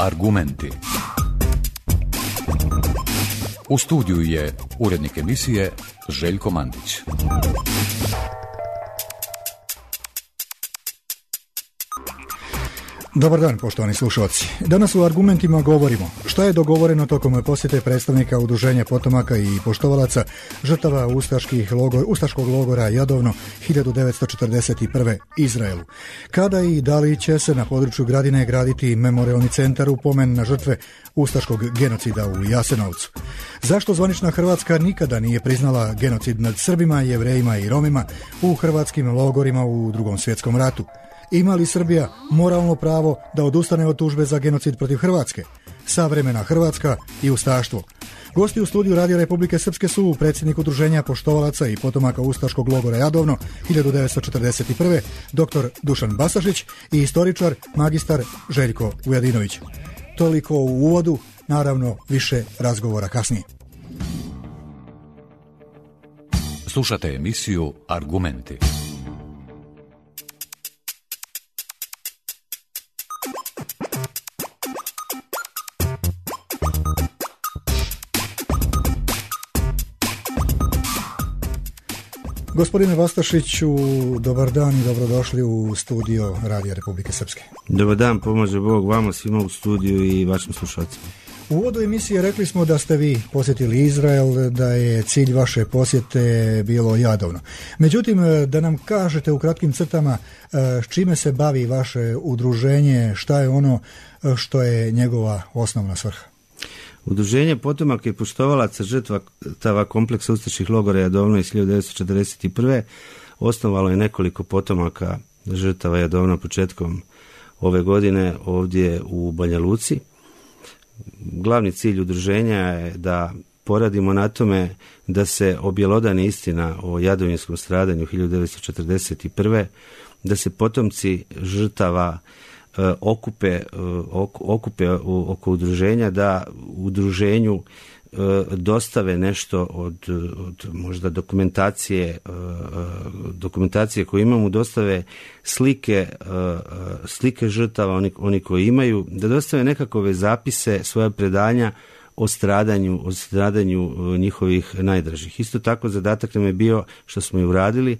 Argumenti. U studiju je urednik emisije Željko Mandić. Dobar dan, poštovani slušalci. Danas u Argumentima govorimo šta je dogovoreno tokom posjete predstavnika Udruženja potomaka i poštovalaca žrtava ustaškog logora Jadovno 1941. Izraelu. Kada i da li će se na području Gradine graditi memorijalni centar u pomen na žrtve ustaškog genocida u Jasenovcu? Zašto zvanična Hrvatska nikada nije priznala genocid nad Srbima, Jevrejima i Romima u hrvatskim logorima u Drugom svjetskom ratu? Ima li Srbija moralno pravo da odustane od tužbe za genocid protiv Hrvatske? Savremena Hrvatska i ustaštvo. Gosti u studiju Radija Republike Srpske su predsjednik Udruženja poštovalaca i potomaka ustaškog logora Jadovno 1941. dr. Dušan Basašić i istoričar magistar Željko Vujadinović. Toliko u uvodu, naravno više razgovora kasnije. Slušate emisiju Argumenti. Gospodine Bastašiću, dobar dan i dobrodošli u studio Radija Republike Srpske. Dobar dan, pomaže Bog vama, svima u studiju i vašim slušalcima. U uvodu emisije rekli smo da ste vi posjetili Izrael, da je cilj vaše posjete bilo Jadovno. Međutim, da nam kažete u kratkim crtama s čime se bavi vaše udruženje, šta je ono što je njegova osnovna svrha? Udruženje potomaka i poštovalaca žrtava kompleksa ustaških logora Jadovno iz 1941. osnovalo je nekoliko potomaka žrtava Jadovno početkom ove godine ovdje u Banja Luci. Glavni cilj udruženja je da poradimo na tome da se objelodani istina o jadovinskom stradanju 1941. da se potomci žrtava okupe oko udruženja, da udruženju dostave nešto od možda dokumentacije koju imamo, dostave slike žrtava, oni koji imaju, da dostave nekakove zapise, svoja predanja o stradanju njihovih najdražih. Isto tako zadatak nam je bio, što smo i uradili,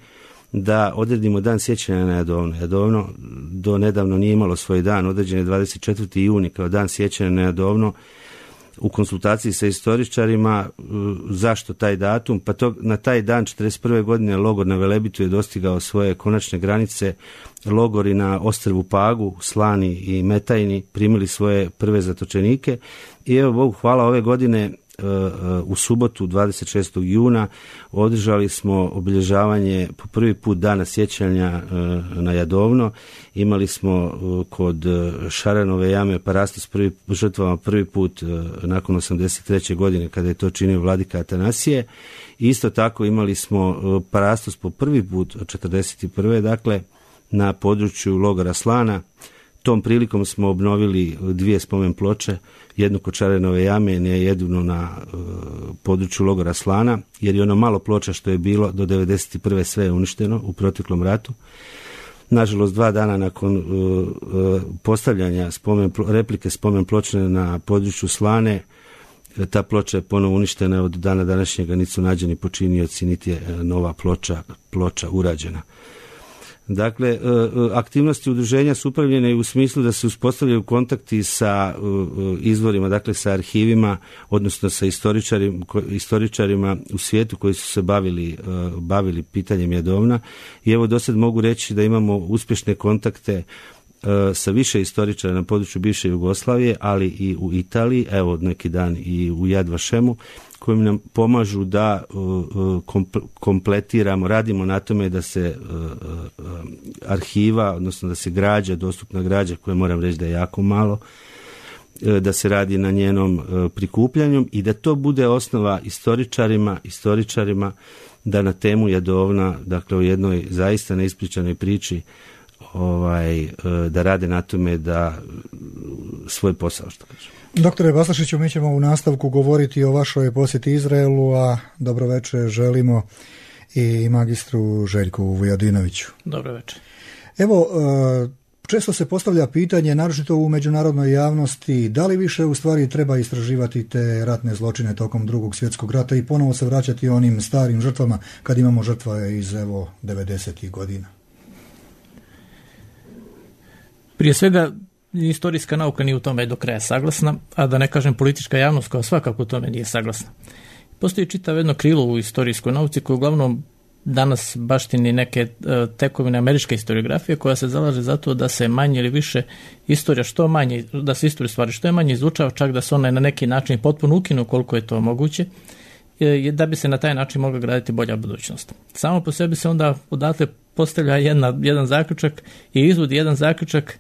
da odredimo dan sjećanja na Jadovno. Jadovno do nedavno nije imalo svoj dan, određen je 24. juni kao dan sjećanja na Jadovno. U konsultaciji sa istoričarima, zašto taj datum? Pa na taj dan 1941. godine logor na Velebitu je dostigao svoje konačne granice. Logori na ostrvu Pagu, Slani i Metajni primili svoje prve zatočenike i evo Bogu hvala ove godine u subotu 26. juna održali smo obilježavanje po prvi put dana sjećanja na Jadovno. Imali smo kod Šaranove jame parastos žrtvama prvi put nakon 83. godine kada je to činio vladika Atanasije. Isto tako imali smo parastos po prvi put od 41. dakle na području logora Slana. Tom prilikom smo obnovili dvije spomen ploče, jednu kod Šaranove jame, jednu na području logora Slana, jer je ono malo ploča što je bilo do 1991. sve je uništeno u proteklom ratu. Nažalost, 2 dana nakon postavljanja replike spomen ploče na području Slane, ta ploča je ponovo uništena, od dana današnjega niti su nađeni počinioci, niti je nova ploča urađena. Dakle, aktivnosti udruženja su upravljene u smislu da se uspostavljaju kontakti sa izvorima, dakle sa arhivima, odnosno sa istoričarima u svijetu koji su se bavili pitanjem Jadovna. I evo do sad mogu reći da imamo uspješne kontakte sa više istoričara na području bivše Jugoslavije, ali i u Italiji, evo od neki dan i u Yad Vashemu, koji nam pomažu da kompletiramo, radimo na tome da se arhiva, odnosno da se dostupna građa, koja moram reći da je jako malo, da se radi na njenom prikupljanju i da to bude osnova istoričarima da na temu Jadovna, dakle u jednoj zaista neispričanoj priči, da rade na tome da svoj posao, što kažem. Doktore Bastašiću, mi ćemo u nastavku govoriti o vašoj posjeti Izraelu, a dobroveče želimo i magistru Željku Vujadinoviću. Dobroveče. Evo, Često se postavlja pitanje, naročito u međunarodnoj javnosti, da li više u stvari treba istraživati te ratne zločine tokom Drugog svjetskog rata i ponovo se vraćati onim starim žrtvama kad imamo žrtve iz 90. godina. Prije svega, istorijska nauka nije u tome do kraja saglasna, a da ne kažem politička javnost koja svakako u tome nije saglasna. Postoji čitav jedno krilo u istorijskoj nauci koje uglavnom danas baštini neke tekovine američke historiografije koja se zalaže za to da se manje ili više istorija što manje, da se istorija stvari što je manje izučava, čak da se ona na neki način potpuno ukinu koliko je to moguće, da bi se na taj način mogla graditi bolja budućnost. Samo po sebi se onda odatle postavlja jedan zaključak i izvodi jedan zaključak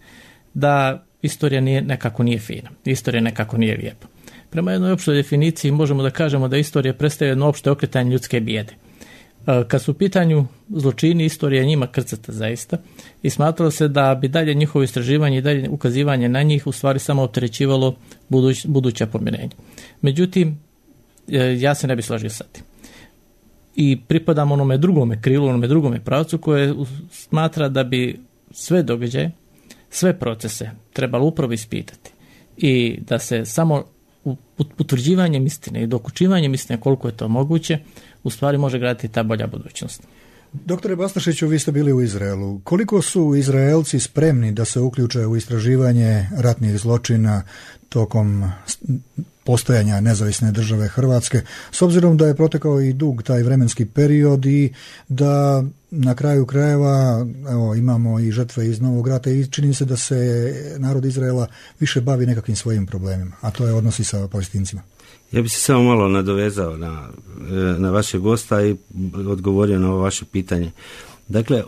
da istorija nekako nije fina, istorija nekako nije lijepa. Prema jednoj opštoj definiciji možemo da kažemo da istorija predstavlja jedno opšte okretanje ljudske bijede. Kad su u pitanju zločini, istorija njima krcata zaista i smatralo se da bi dalje njihovo istraživanje i dalje ukazivanje na njih u stvari samo opterećivalo buduća pomirenja. Međutim, ja se ne bi složio sa tim. I pripadam onome drugome krilu, onome drugome pravcu koje smatra da bi sve događaje, sve procese trebalo upravo ispitati i da se samo utvrđivanjem istine i dokučivanjem istine koliko je to moguće u stvari može graditi ta bolja budućnost. Doktore Bastašiću, vi ste bili u Izraelu. Koliko su Izraelci spremni da se uključe u istraživanje ratnih zločina tokom postojanja nezavisne države Hrvatske, s obzirom da je protekao i dug taj vremenski period i da na kraju krajeva imamo i žrtve iz Novog rata i čini se da se narod Izraela više bavi nekakvim svojim problemima, a to je odnosi sa Palestincima? Ja bih se samo malo nadovezao na vašeg gosta i odgovorio na ovo vaše pitanje. Dakle,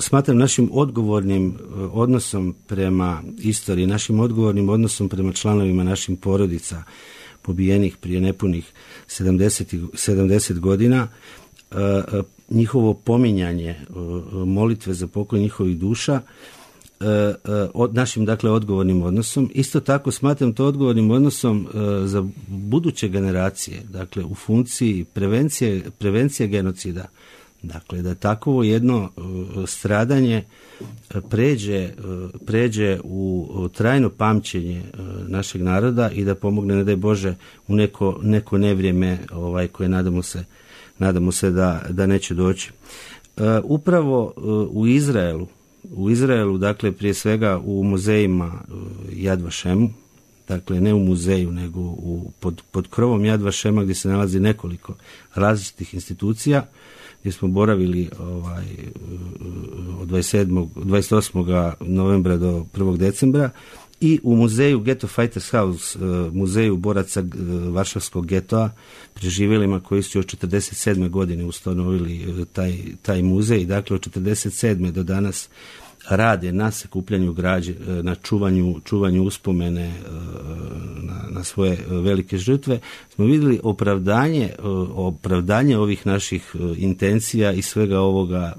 smatram našim odgovornim odnosom prema istoriji, našim odgovornim odnosom prema članovima našim porodica pobijenih prije nepunih 70 godina, njihovo pominjanje, molitve za pokoj njihovih duša, našim odgovornim odnosom. Isto tako smatram to odgovornim odnosom za buduće generacije, dakle u funkciji prevencije genocida. Dakle, da takvo jedno stradanje pređe u trajno pamćenje našeg naroda i da pomogne, ne daj Bože, u neko nevrijeme koje nadamo se da neće doći. Upravo u Izraelu, dakle, prije svega u muzejima Yad Vashemu, dakle ne u muzeju, nego pod krovom Yad Vashema gdje se nalazi nekoliko različitih institucija, gdje smo boravili od 28. novembra do 1. decembra i u muzeju Ghetto Fighters House, muzeju boraca Varšavskog getoa, preživjelima koji su još 47. godine ustanovili taj muzej. Dakle, od 47. do danas rade na sakupljanju građe, na čuvanju uspomene na svoje velike žrtve, smo vidjeli opravdanje ovih naših intencija i svega ovoga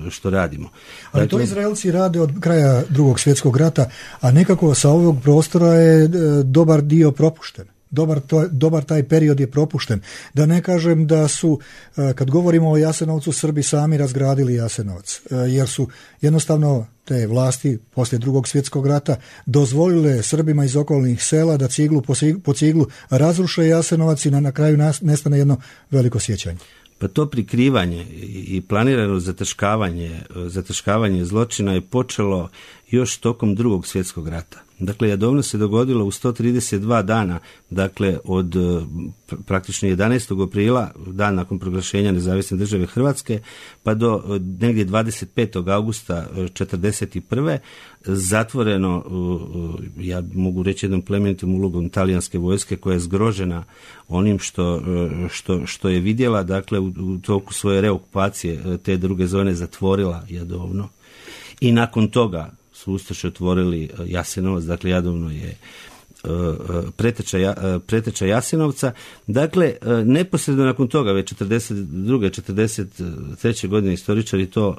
što radimo. Ali to Izraelci rade od kraja Drugog svjetskog rata, a nekako sa ovog prostora je dobar dio propušten. Dobar taj period je propušten. Da ne kažem da su, kad govorimo o Jasenovcu, Srbi sami razgradili Jasenovac, jer su jednostavno te vlasti poslije Drugog svjetskog rata dozvolile Srbima iz okolnih sela da ciglu po ciglu razruše Jasenovac i na kraju nestane jedno veliko sjećanje. Pa to prikrivanje i planirano zataškavanje zločina je počelo još tokom Drugog svjetskog rata. Dakle, Jadovno se dogodilo u 132 dana, dakle od praktično 11. aprila, dan nakon proglašenja nezavisne države Hrvatske, pa do negdje 25. augusta 1941. zatvoreno, ja mogu reći jednom plemenitom ulogom talijanske vojske koja je zgrožena onim što je vidjela, dakle u toku svoje reokupacije te druge zone zatvorila Jadovno i nakon toga su ustaše otvorili Jasenovac, dakle Jadovno je preteča Jasenovca. Dakle, neposredno nakon toga, već 42. 43. godine, istoričari to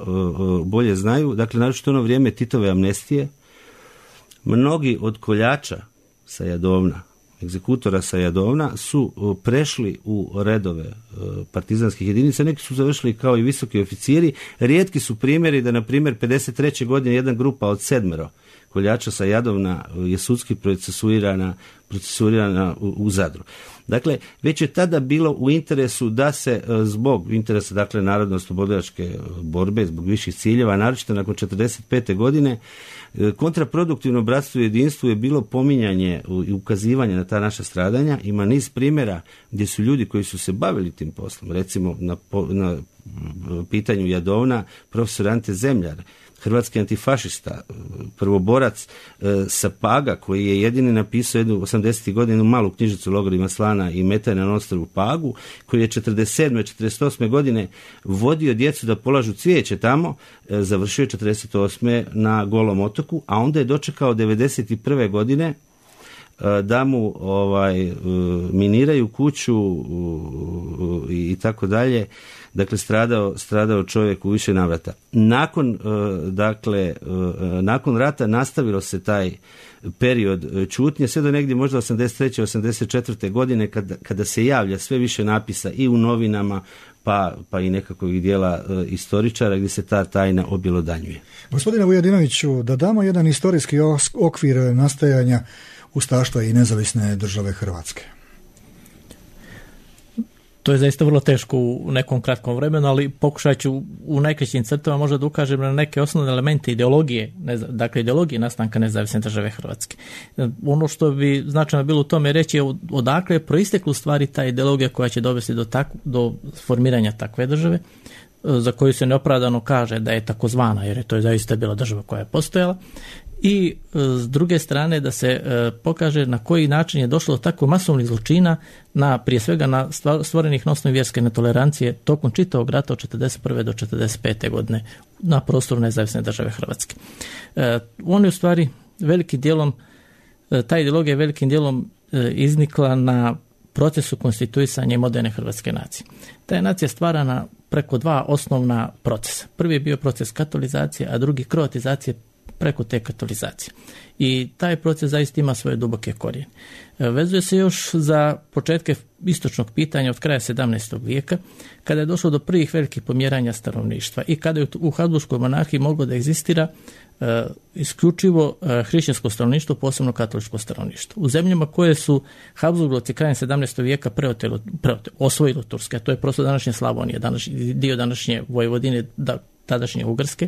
bolje znaju, dakle, naročito ono vrijeme Titove amnestije, mnogi od koljača sa Jadovna egzekutora sa Jadovna su prešli u redove partizanskih jedinica, neki su završili kao i visoki oficiri. Rijetki su primjeri da, na primjer, 53. godine jedna grupa od 7 koljača sa Jadovna je sudski procesuirana u Zadru. Dakle, već je tada bilo u interesu da se zbog interesa, dakle, narodno-oslobodilačke borbe, zbog viših ciljeva, naročito nakon 45. godine, kontraproduktivno bratstvo i jedinstvo je bilo pominjanje i ukazivanje na ta naša stradanja. Ima niz primjera gdje su ljudi koji su se bavili tim poslom, recimo na pitanju Jadovna, profesor Ante Zemljar, hrvatski antifašista, prvoborac sa Paga, koji je jedini napisao jednu 80. godinu malu knjižicu o logorima Slana i Metajna na ostrvu Pagu, koji je 47. 48. godine vodio djecu da polažu cvijeće tamo, završio je 48. na Golom otoku, a onda je dočekao 91. godine da mu miniraju kuću i tako dalje. Dakle, stradao čovjek u više navrata. Nakon rata nastavilo se taj period čutnje, sve do negdje možda 83. 84. godine kada se javlja sve više napisa i u novinama, pa i nekakvih dijela istoričara gdje se ta tajna objelodanjuje. Gospodine Vujadinoviću, da damo jedan historijski okvir nastajanja ustaštva i nezavisne države Hrvatske. To je zaista vrlo teško u nekom kratkom vremenu, ali pokušat ću u najkraćim crtama možda da ukažem na neke osnovne elemente ideologije, dakle ideologije nastanka nezavisne države Hrvatske. Ono što bi značajno bilo u tome reći je odakle je proistekla u stvari ta ideologija koja će dovesti do formiranja takve države, za koju se neopravdano kaže da je takozvana, jer je to zaista bila država koja je postojala. I s druge strane da se pokaže na koji način je došlo do tako masovnih zločina, prije svega na stvorenih na osnovi vjerske netolerancije tokom čitavog rata od 41. do 45. godine na prostoru nezavisne države Hrvatske. On je u stvari velikim dijelom, ta ideologija je velikim dijelom iznikla na procesu konstituisanja moderne hrvatske nacije. Ta je nacija stvarana preko dva osnovna procesa. Prvi je bio proces katolizacije, a drugi kroatizacije preko te katolizacije. I taj proces zaista ima svoje duboke korijene. Vezuje se još za početke istočnog pitanja od kraja 17. vijeka, kada je došlo do prvih velikih pomjeranja stanovništva i kada je u Habsburškoj monarhiji moglo da egzistira isključivo hrišćansko stanovništvo, posebno katoličko stanovništvo. U zemljama koje su Habsburgovci krajem 17. vijeka osvojili Turske, a to je prosto današnje Slavonije, dio današnje Vojvodine, tadašnje Ugarske,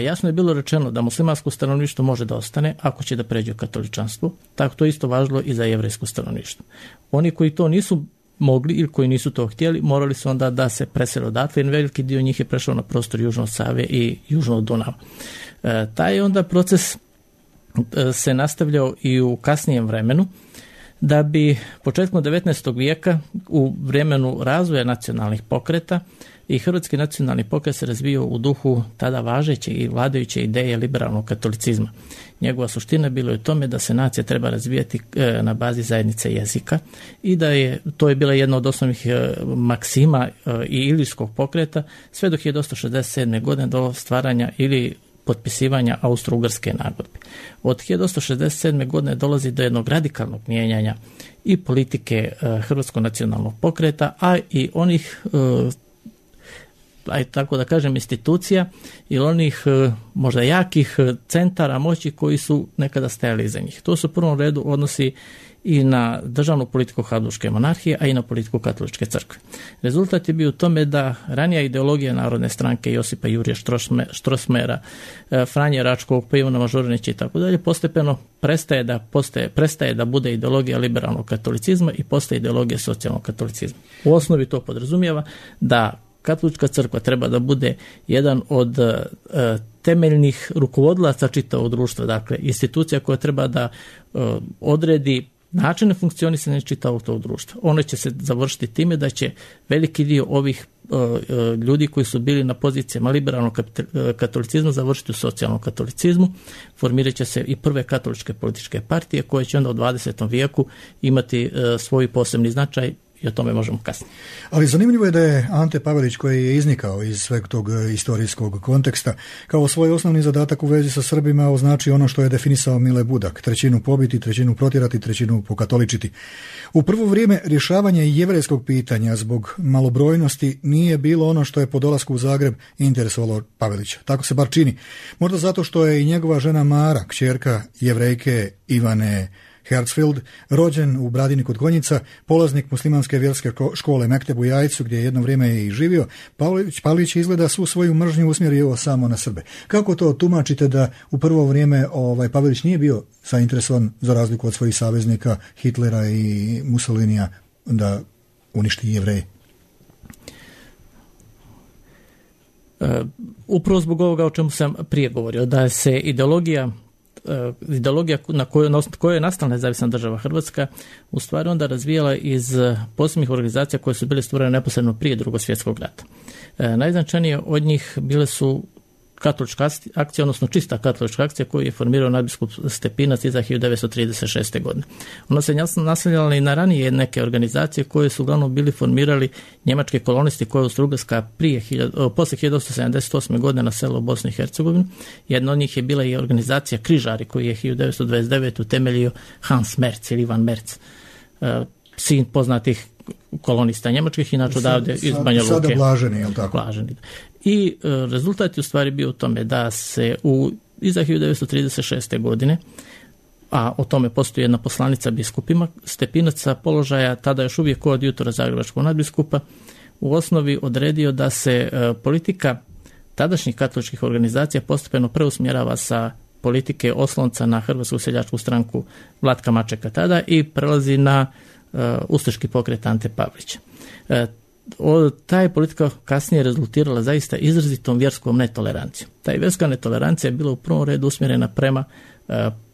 jasno je bilo rečeno da muslimansko stanovništvo može da ostane ako će da pređe u katoličanstvo, tako to isto važilo i za jevrejsko stanovništvo. Oni koji to nisu mogli ili koji nisu to htjeli, morali su onda da se presele odatle, jer veliki dio njih je prešao na prostor južno od Save i južno od Dunava. Taj onda proces se nastavljao i u kasnijem vremenu, da bi početkom 19. vijeka u vremenu razvoja nacionalnih pokreta i hrvatski nacionalni pokret se razvio u duhu tada važeće i vladajuće ideje liberalnog katolicizma. Njegova suština bilo je u tome da se nacija treba razvijati na bazi zajednice jezika i to je bila jedna od osnovnih maksima i ilirskog pokreta sve do 1867. godine do stvaranja ili potpisivanja Austro-Ugarske nagodbe. Od 1867. godine dolazi do jednog radikalnog mijenjanja i politike hrvatskog nacionalnog pokreta, a i onih tako da kažem institucija ili onih možda jakih centara moći koji su nekada stajali iza njih. To se u prvom redu odnosi i na državnu politiku Habsburške monarhije, a i na politiku katoličke crkve. Rezultat je bio u tome da ranija ideologija Narodne stranke Josipa Jurija Strossmayera, Franje Račkovog, pa Ivana Mažuranića i tako dalje, postepeno prestaje da bude ideologija liberalnog katolicizma i postaje ideologija socijalnog katolicizma. U osnovi to podrazumijeva da katolička crkva treba da bude jedan od temeljnih rukovodilaca čitavog društva, dakle institucija koja treba da odredi načine funkcionisanja čitavog tog društva. Ono će se završiti time da će veliki dio ovih ljudi koji su bili na pozicijama liberalnog katolicizma završiti u socijalnom katolicizmu. Formirat će se i prve katoličke političke partije koje će onda u 20. vijeku imati svoj posebni značaj i o tome možemo kasnije. Ali zanimljivo je da je Ante Pavelić, koji je iznikao iz sveg tog istorijskog konteksta, kao svoj osnovni zadatak u vezi sa Srbima označio ono što je definisao Mile Budak: trećinu pobiti, trećinu protjerati, trećinu pokatoličiti. U prvo vrijeme rješavanje jevrejskog pitanja zbog malobrojnosti nije bilo ono što je po dolasku u Zagreb interesovalo Pavelića. Tako se bar čini. Možda zato što je i njegova žena Mara, kćerka Jevrejke Ivane Herzfeld, rođen u Bradini kod Konjica, polaznik muslimanske vjerske škole Mekteb u Jajcu, gdje je jedno vrijeme i živio. Pavelić izgleda svu svoju mržnju usmjerio samo na Srbe. Kako to tumačite da u prvo vrijeme Pavelić nije bio zainteresovan, za razliku od svojih saveznika Hitlera i Mussolinija, da uništi Jevreje? Upravo zbog ovoga o čemu sam prije govorio, da se ideologija na kojoj je nastala nezavisna država Hrvatska u stvari onda razvijala iz posebnih organizacija koje su bile stvorene neposredno prije Drugog svjetskog rata. Najznačajnije od njih bile su katolička akcija, odnosno čista katolička akcija koju je formirao nadbiskup Stepinac iza 1936. godine. Ona se naslanjala i na ranije neke organizacije koje su uglavnom bili formirali njemački kolonisti koje je Austro-Ugarska poslije 1978. godine naselila u Bosnu i Hercegovinu. Jedna od njih je bila i organizacija Križari koju je 1929. utemeljio Hans Merz ili Ivan Merz, sin poznatih kolonista njemačkih, inače odavde iz Banja Luke. Sada blaženi, je li tako? Blaženi. I rezultat je u stvari bio u tome da se iza 1936. godine, a o tome postoji jedna poslanica biskupima, Stepinac sa položaja tada još uvijek koadjutora zagrebačkog nadbiskupa u osnovi odredio da se politika tadašnjih katoličkih organizacija postepeno preusmjerava sa politike oslonca na Hrvatsku seljačku stranku Vlatka Mačeka tada i prelazi na ustaški pokret Ante Pavelića. Ta je politika kasnije rezultirala zaista izrazitom vjerskom netolerancijom. Ta vjerska netolerancija je bila u prvom redu usmjerena prema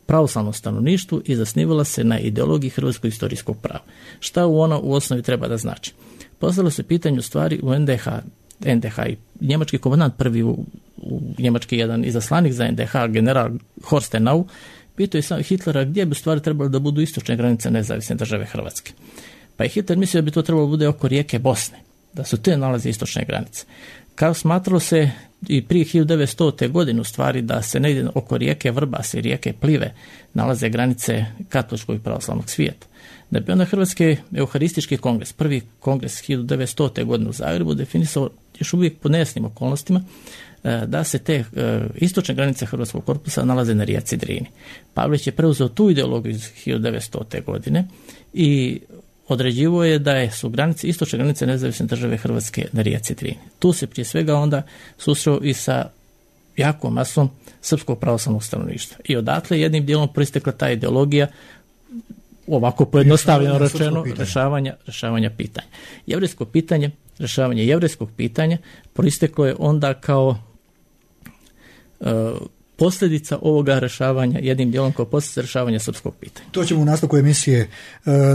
pravoslavnom stanovništvu i zasnivala se na ideologiji hrvatskog historijskog prava. Šta ona u osnovi treba da znači? Postavilo se pitanje u stvari u NDH i njemački komandant prvi u njemački jedan izaslanik za NDH, general Horstenau, pitao je sam Hitlera gdje bi u stvari trebalo da budu istočne granice nezavisne države Hrvatske. Pa je Hitler mislio da bi to trebalo bude oko rijeke Bosne, da su te nalaze istočne granice. Kao smatralo se i prije 1900. godine u stvari da se negdje oko rijeke Vrbas i rijeke Plive nalaze granice katoličkog i pravoslavnog svijeta. Da bi onda Hrvatski euharistički kongres, prvi kongres 1900. godine u Zagrebu, definisao još uvijek po nejasnim okolnostima da se te istočne granice Hrvatskog korpusa nalaze na rijeci Drini. Pavelić je preuzeo tu ideologiju iz 1900. godine i određivo je da su istočne granice nezavisne države Hrvatske na rijeci Drini. Tu se prije svega onda susreo i sa jakom masom srpskog pravoslavnog stanovništva. I odatle jednim dijelom proistekla ta ideologija, ovako pojednostavljeno rečeno, rješavanja pitanja. Rješavanje jevrejskog pitanja proisteklo je onda kao posljedica ovoga rješavanja, jednim dijelom kao posljedica rješavanja srpskog pitanja. To ćemo u nastavku emisije.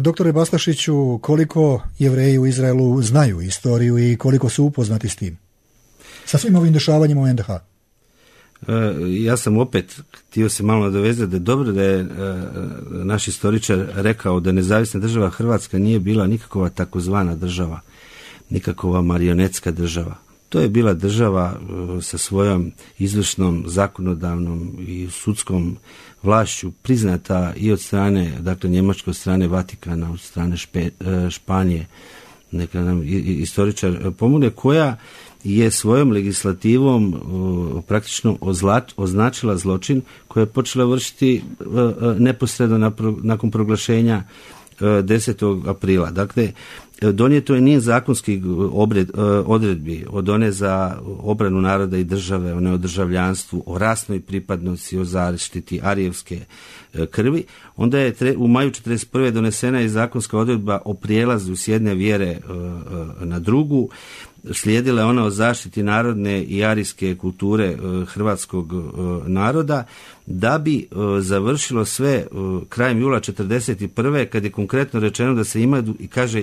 Doktore Bastašiću, koliko Jevreji u Izraelu znaju istoriju i koliko su upoznati s tim? Sa svim ovim dešavanjima u NDH? Ja sam opet htio se malo nadovezati da je dobro da je naš istoričar rekao da nezavisna država Hrvatska nije bila nikakva takozvana država, nikakva marionetska država. To je bila država sa svojom izvršnom, zakonodavnom i sudskom vlašću priznata i od strane, dakle njemačke, od strane Vatikana, od strane Španije, neka nam istoričar pomogne, koja je svojom legislativom praktično označila zločin koji je počela vršiti neposredno nakon proglašenja 10. aprila. Dakle, donijeto je niz zakonskih odredbi, od one za obranu naroda i države, one o državljanstvu, o rasnoj pripadnosti, o zaštiti arijevske krvi. Onda je u maju 1941. donesena i zakonska odredba o prijelazu s jedne vjere na drugu. Slijedila je ona o zaštiti narodne i arijske kulture hrvatskog naroda, da bi završilo sve krajem jula 1941. kad je konkretno rečeno da se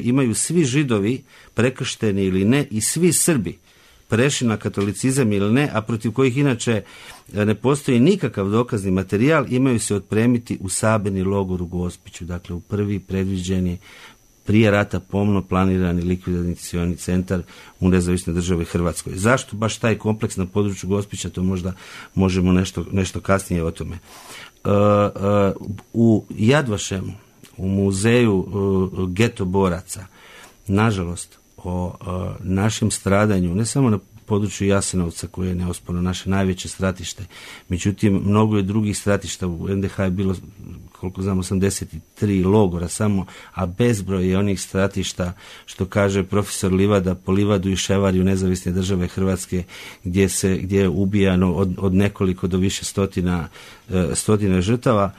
imaju svi Židovi prekršteni ili ne i svi Srbi prešli na katolicizam ili ne, a protiv kojih inače ne postoji nikakav dokazni materijal, imaju se otpremiti u sabirni logor u Gospiću, dakle u prvi predviđeni prije rata pomno planirani likvidacioni centar u nezavisnoj državi Hrvatskoj. Zašto baš taj kompleks na području Gospića, to možda možemo nešto kasnije o tome. U Jadvašemu, u muzeju geto boraca, nažalost, o našem stradanju, ne samo na području Jasenovca, koje je neosporno naše najveće stratište, međutim, mnogo je drugih stratišta. U NDH je bilo, koliko znam, 83 logora samo, a bezbroj je onih stratišta, što kaže profesor Livada, po Livadu i Ševariju nezavisne države Hrvatske, gdje je ubijano od nekoliko do više stotina žrtava.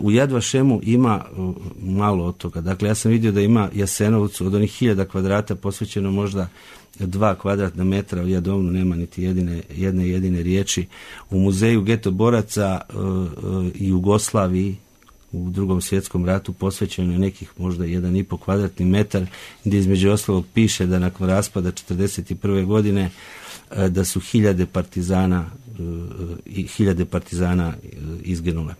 U Jadvašemu ima malo od toga. Dakle, ja sam vidio da ima Jasenovcu od onih 1000 kvadrata posvećeno možda 2 kvadratna metra, u Jadovnu nema niti jedne jedine riječi. U muzeju geto boraca i Jugoslaviji u Drugom svjetskom ratu posvećeno je nekih možda 1,5 kvadratni metar, gdje između ostalog piše da nakon raspada 1941. godine da su 1000 partizana izginule.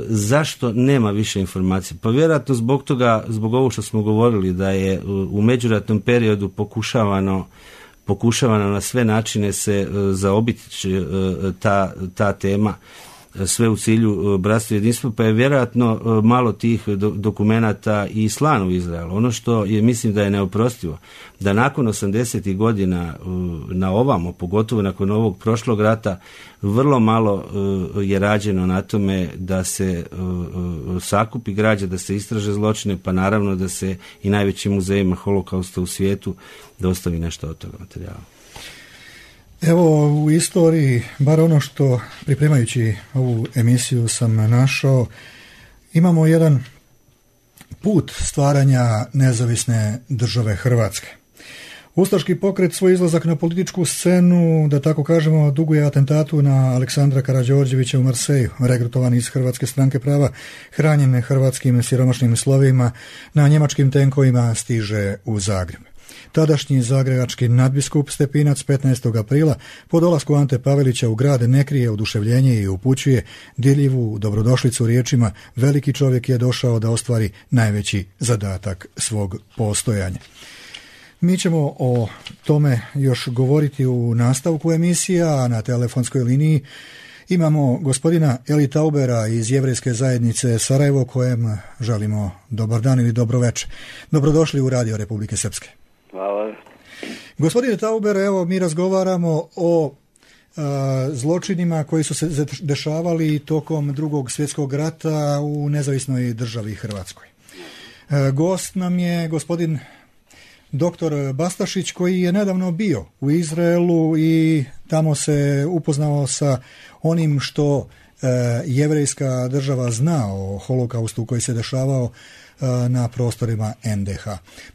Zašto nema više informacija? Pa vjerojatno zbog ovog što smo govorili, da je u međuratnom periodu pokušavano na sve načine se zaobići ta tema, sve u cilju bratstva i jedinstva, pa je vjerojatno malo tih dokumenata i slano u Izrael. Ono što je, mislim da je neoprostivo, da nakon 80. godina na ovamo, pogotovo nakon ovog prošlog rata, vrlo malo je rađeno na tome da se sakupi građa, da se istraže zločine, pa naravno da se i najvećim muzejima holokausta u svijetu da ostavi nešto od toga materijala. Evo, u istoriji, bar ono što pripremajući ovu emisiju sam našao, imamo jedan put stvaranja nezavisne države Hrvatske. Ustaški pokret svoj izlazak na političku scenu, da tako kažemo, duguje atentatu na Aleksandra Karađorđevića u Marseju, regrutovan iz Hrvatske stranke prava, hranjen hrvatskim siromašnim slovima, na njemačkim tenkovima stiže u Zagreb. Tadašnji zagrebački nadbiskup Stepinac 15. aprila po dolasku Ante Pavelića u grad ne krije oduševljenje i upućuje dirljivu dobrodošlicu riječima: veliki čovjek je došao da ostvari najveći zadatak svog postojanja. Mi ćemo o tome još govoriti u nastavku emisija, a na telefonskoj liniji imamo gospodina Eli Taubera iz Jevrejske zajednice Sarajevo, kojem želimo dobar dan ili dobro večer. Dobrodošli u Radio Republike Srpske. Hvala. Gospodine Tauber, evo mi razgovaramo o zločinima koji su se dešavali tokom Drugog svjetskog rata u nezavisnoj državi Hrvatskoj. Gost nam je gospodin doktor Bastašić, koji je nedavno bio u Izraelu i tamo se upoznao sa onim što jevrejska država zna o holokaustu koji se dešavao na prostorima NDH.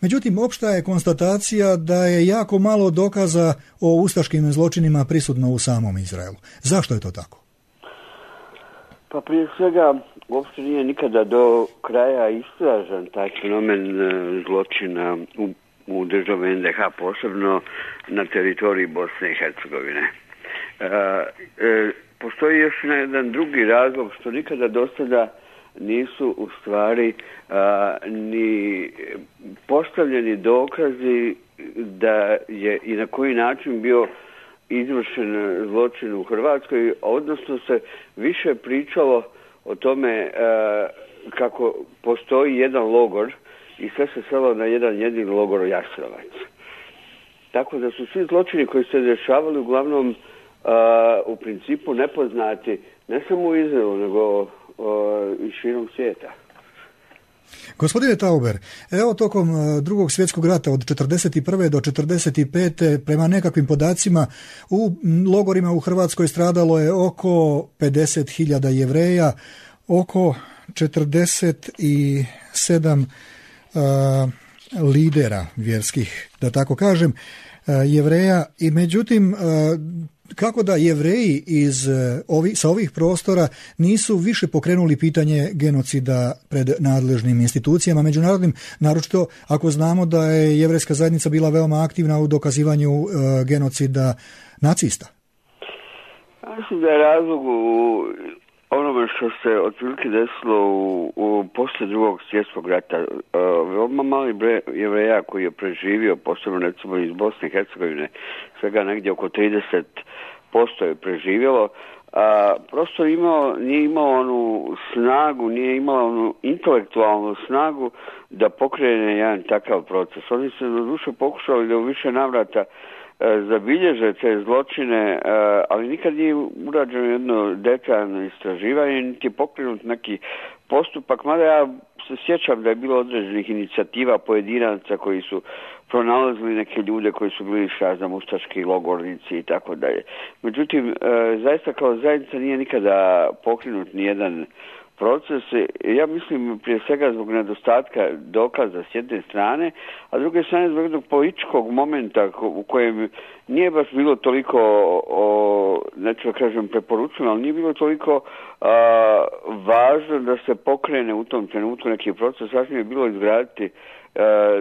Međutim, opšta je konstatacija da je jako malo dokaza o ustaškim zločinima prisutno u samom Izraelu. Zašto je to tako? Pa prije svega, uopšte nije nikada do kraja istražen taj fenomen zločina u državi NDH, posebno na teritoriji Bosne i Hercegovine. Postoji još jedan drugi razlog, što nikada do sada nisu u stvari ni postavljeni dokazi da je i na koji način bio izvršen zločin u Hrvatskoj, odnosno se više pričalo o tome kako postoji jedan logor i sve se svelo na jedan jedini logor Jasenovac. Tako da su svi zločini koji se dešavali uglavnom u principu nepoznati ne samo u Izraelu, nego i širom svijeta. Gospodine Tauber, evo tokom Drugog svjetskog rata od 1941. do 1945. prema nekakvim podacima u logorima u Hrvatskoj stradalo je oko 50.000 Jevreja, oko 47 lidera vjerskih, da tako kažem, Jevreja. I međutim, kako da Jevreji sa ovih prostora nisu više pokrenuli pitanje genocida pred nadležnim institucijama međunarodnim, naročito ako znamo da je jevrejska zajednica bila veoma aktivna u dokazivanju genocida nacista? Mislim da je razlog onome što se otprilike desilo u poslije Drugog svjetskog rata. Veoma mali broj Jevreja koji je preživio, posebno recimo iz Bosne i Hercegovine, svega negdje oko 30% je preživjelo, prosto nije imao onu snagu, nije imao onu intelektualnu snagu da pokrene jedan takav proces. Oni su doduše pokušali da u više navrata zabilježe te zločine, ali nikad nije urađeno jedno detaljno istraživanje, niti je pokrenut neki postupak, mada ja se sjećam da je bilo određenih inicijativa pojedinaca koji su pronalazili neke ljude koji su bili ustaški logornici i tako dalje. Međutim, zaista kao zajednica nije nikada pokrenut nijedan proces. Ja mislim prije svega zbog nedostatka dokaza s jedne strane, a s druge strane zbog jednog političkog momenta u kojem nije baš bilo toliko, neću da kažem preporučeno, ali nije bilo toliko važno da se pokrene u tom trenutku neki proces. Važno je bilo izgraditi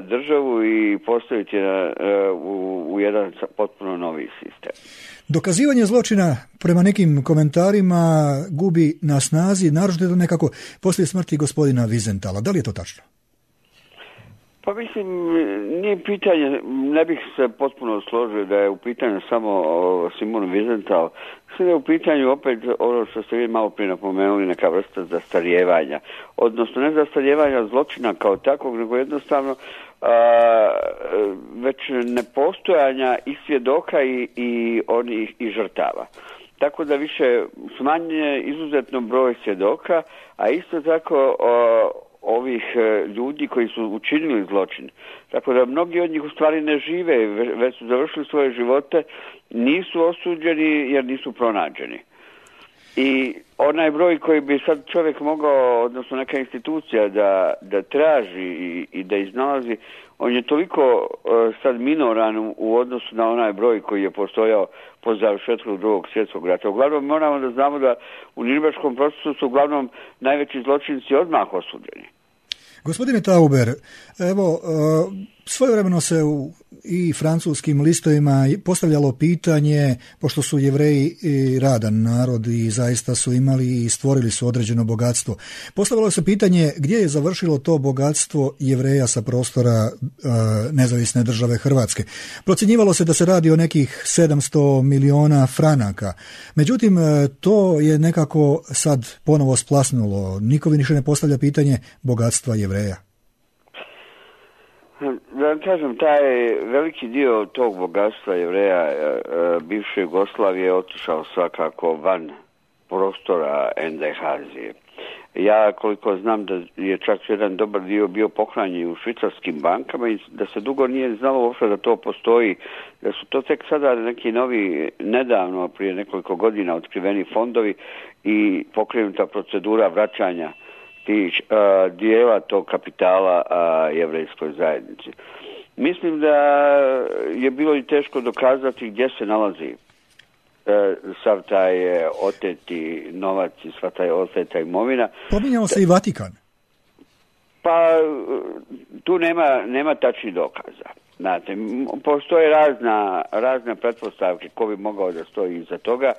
državu i postaviti u jedan potpuno novi sistem. Dokazivanje zločina prema nekim komentarima gubi na snazi, naročito nekako poslije smrti gospodina Wiesenthala. Da li je to tačno? Pa mislim, nije pitanje, ne bih se potpuno složio da je u pitanju samo Simon Wiesenthal. Mislim da je u pitanju opet ono što ste vi malo prije napomenuli, neka vrsta zastarijevanja. Odnosno ne zastarijevanja zločina kao takvog, nego jednostavno već nepostojanja i svjedoka i onih i žrtava. Tako da više smanjuje izuzetno broj svjedoka, a isto tako ovih ljudi koji su učinili zločin. Tako da mnogi od njih u stvari ne žive, već su završili svoje živote, nisu osuđeni jer nisu pronađeni. I onaj broj koji bi sad čovjek mogao, odnosno neka institucija da traži i da iznalazi, on je toliko sad minoran u odnosu na onaj broj koji je postojao po završetku Drugog svjetskog rata. Uglavnom moramo da znamo da u Nürnberškom procesu su uglavnom najveći zločinci odmah osuđeni. Gospodine Tauber, evo, svojevremeno se u i francuskim listovima postavljalo pitanje, pošto su Jevreji radan narod i zaista su imali i stvorili su određeno bogatstvo. Postavljalo se pitanje gdje je završilo to bogatstvo Jevreja sa prostora nezavisne države Hrvatske. Procjenjivalo se da se radi o nekih 700 miliona franaka. Međutim, to je nekako sad ponovo splasnulo. Niko više ne postavlja pitanje bogatstva Jevreja. Da vam kažem, taj veliki dio tog bogatstva Jevreja bivše Jugoslavije je otišao svakako van prostora NDH-azije. Ja koliko znam da je čak jedan dobar dio bio pohranjen u švicarskim bankama i da se dugo nije znalo uopšte da to postoji, da su to tek sada neki novi, nedavno prije nekoliko godina otkriveni fondovi i pokrenuta procedura vraćanja dijela tog kapitala jevrejskoj zajednici. Mislim da je bilo i teško dokazati gdje se nalazi sav taj oteti novac i sva taj oteta imovina. Pominjao se i Vatikan. Pa tu nema tačnih dokaza. Znate, postoje razne pretpostavke ko bi mogao da stoji iza toga.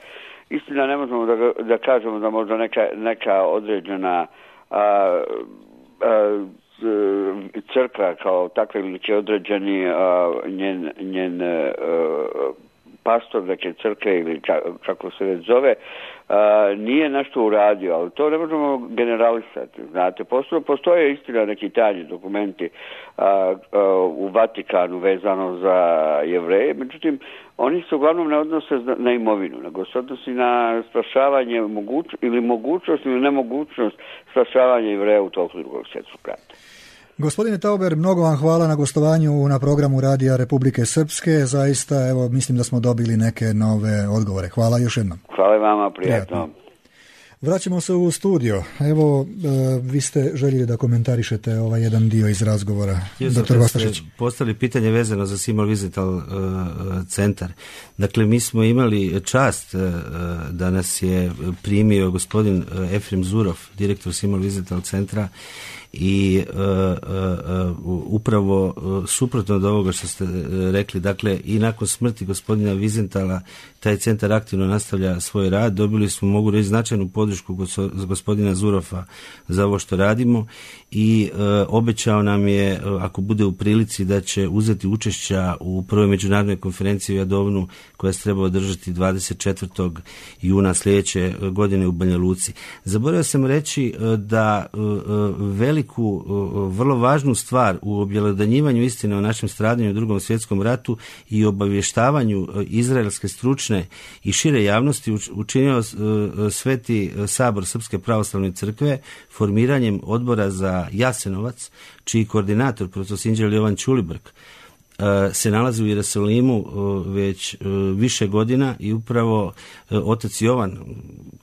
Istina, ne možemo da kažemo da možda neka određena crkva kao takva ili će određeni njen pastor neke crkve ili kako se već zove nije nešto uradio, ali to ne možemo generalisati. Znate, postoje istina neki tajni dokumenti u Vatikanu vezano za Jevreje, međutim oni se uglavnom ne odnose na imovinu, nego se odnosi na spašavanje mogućnost ili nemogućnost spašavanja Jevreja u toku Drugog svjetskog rata. Gospodine Tauber, mnogo vam hvala na gostovanju na programu Radija Republike Srpske. Zaista, evo, mislim da smo dobili neke nove odgovore. Hvala još jednom. Hvala vama, prijatno. Vraćamo se u studio. Evo, vi ste željeli da komentarišete ovaj jedan dio iz razgovora. Dr. Gostašić. Postavili pitanje vezano za Simon Wiesenthal centar. Dakle, mi smo imali čast da nas je primio gospodin Efrem Zurov, direktor Simon Wiesenthal centra, i upravo suprotno od ovoga što ste rekli, dakle i nakon smrti gospodina Wiesenthala taj centar aktivno nastavlja svoj rad. Dobili smo, mogu reći, značajnu podršku gospodina Zurofa za ovo što radimo i obećao nam je, ako bude u prilici, da će uzeti učešća u prvoj međunarodnoj konferenciji u Jadovnu koja se treba održati 24. juna sljedeće godine u Banja Luci. Zaboravio sam reći da veliku, vrlo važnu stvar u objelodanjivanju istine o našem stradanju u Drugom svjetskom ratu i obavještavanju izraelske stručne i šire javnosti učinio Sveti Sabor Srpske pravoslavne crkve formiranjem odbora za Jasenovac, čiji koordinator, profesor Sinđel Jovan Ćulibrk, se nalazi u Jerusalimu već više godina i upravo otac Jovan,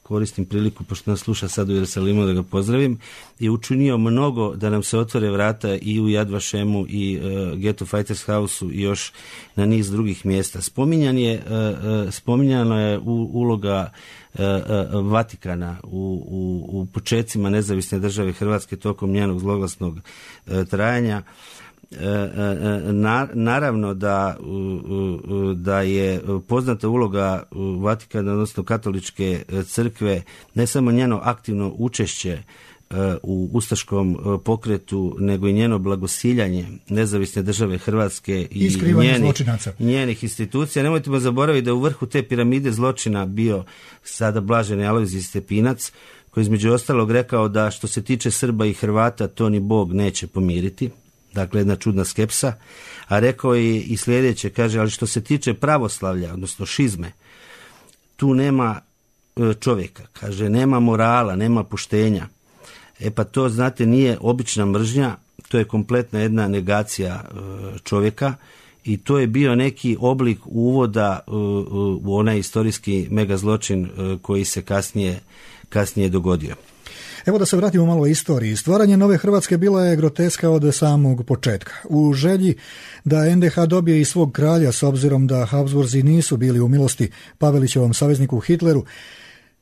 koristim priliku pošto nas sluša sad u Jerusalimu da ga pozdravim, je učinio mnogo da nam se otvore vrata i u Yad Vashemu i Ghetto Fighters House-u i još na niz drugih mjesta. Spominjana je uloga Vatikana u počecima nezavisne države Hrvatske tokom njenog zloglasnog trajanja. Naravno da je poznata uloga Vatikana, odnosno katoličke crkve, ne samo njeno aktivno učešće u ustaškom pokretu, nego i njeno blagosiljanje nezavisne države Hrvatske i njenih institucija. Nemojte zaboraviti da u vrhu te piramide zločina bio sada blaženi Alojzije Stepinac, koji između ostalog rekao da što se tiče Srba i Hrvata to ni Bog neće pomiriti. Dakle, jedna čudna skepsa. A rekao je i sljedeće, kaže, ali što se tiče pravoslavlja, odnosno šizme, tu nema čovjeka. Kaže, nema morala, nema poštenja. Pa to, znate, nije obična mržnja, to je kompletna jedna negacija čovjeka i to je bio neki oblik uvoda u onaj istorijski megazločin koji se kasnije dogodio. Evo da se vratimo malo o istoriji. Stvaranje nove Hrvatske bila je groteska od samog početka. U želji da NDH dobije i svog kralja, s obzirom da Habsburzi nisu bili u milosti Pavelićevom savezniku Hitleru,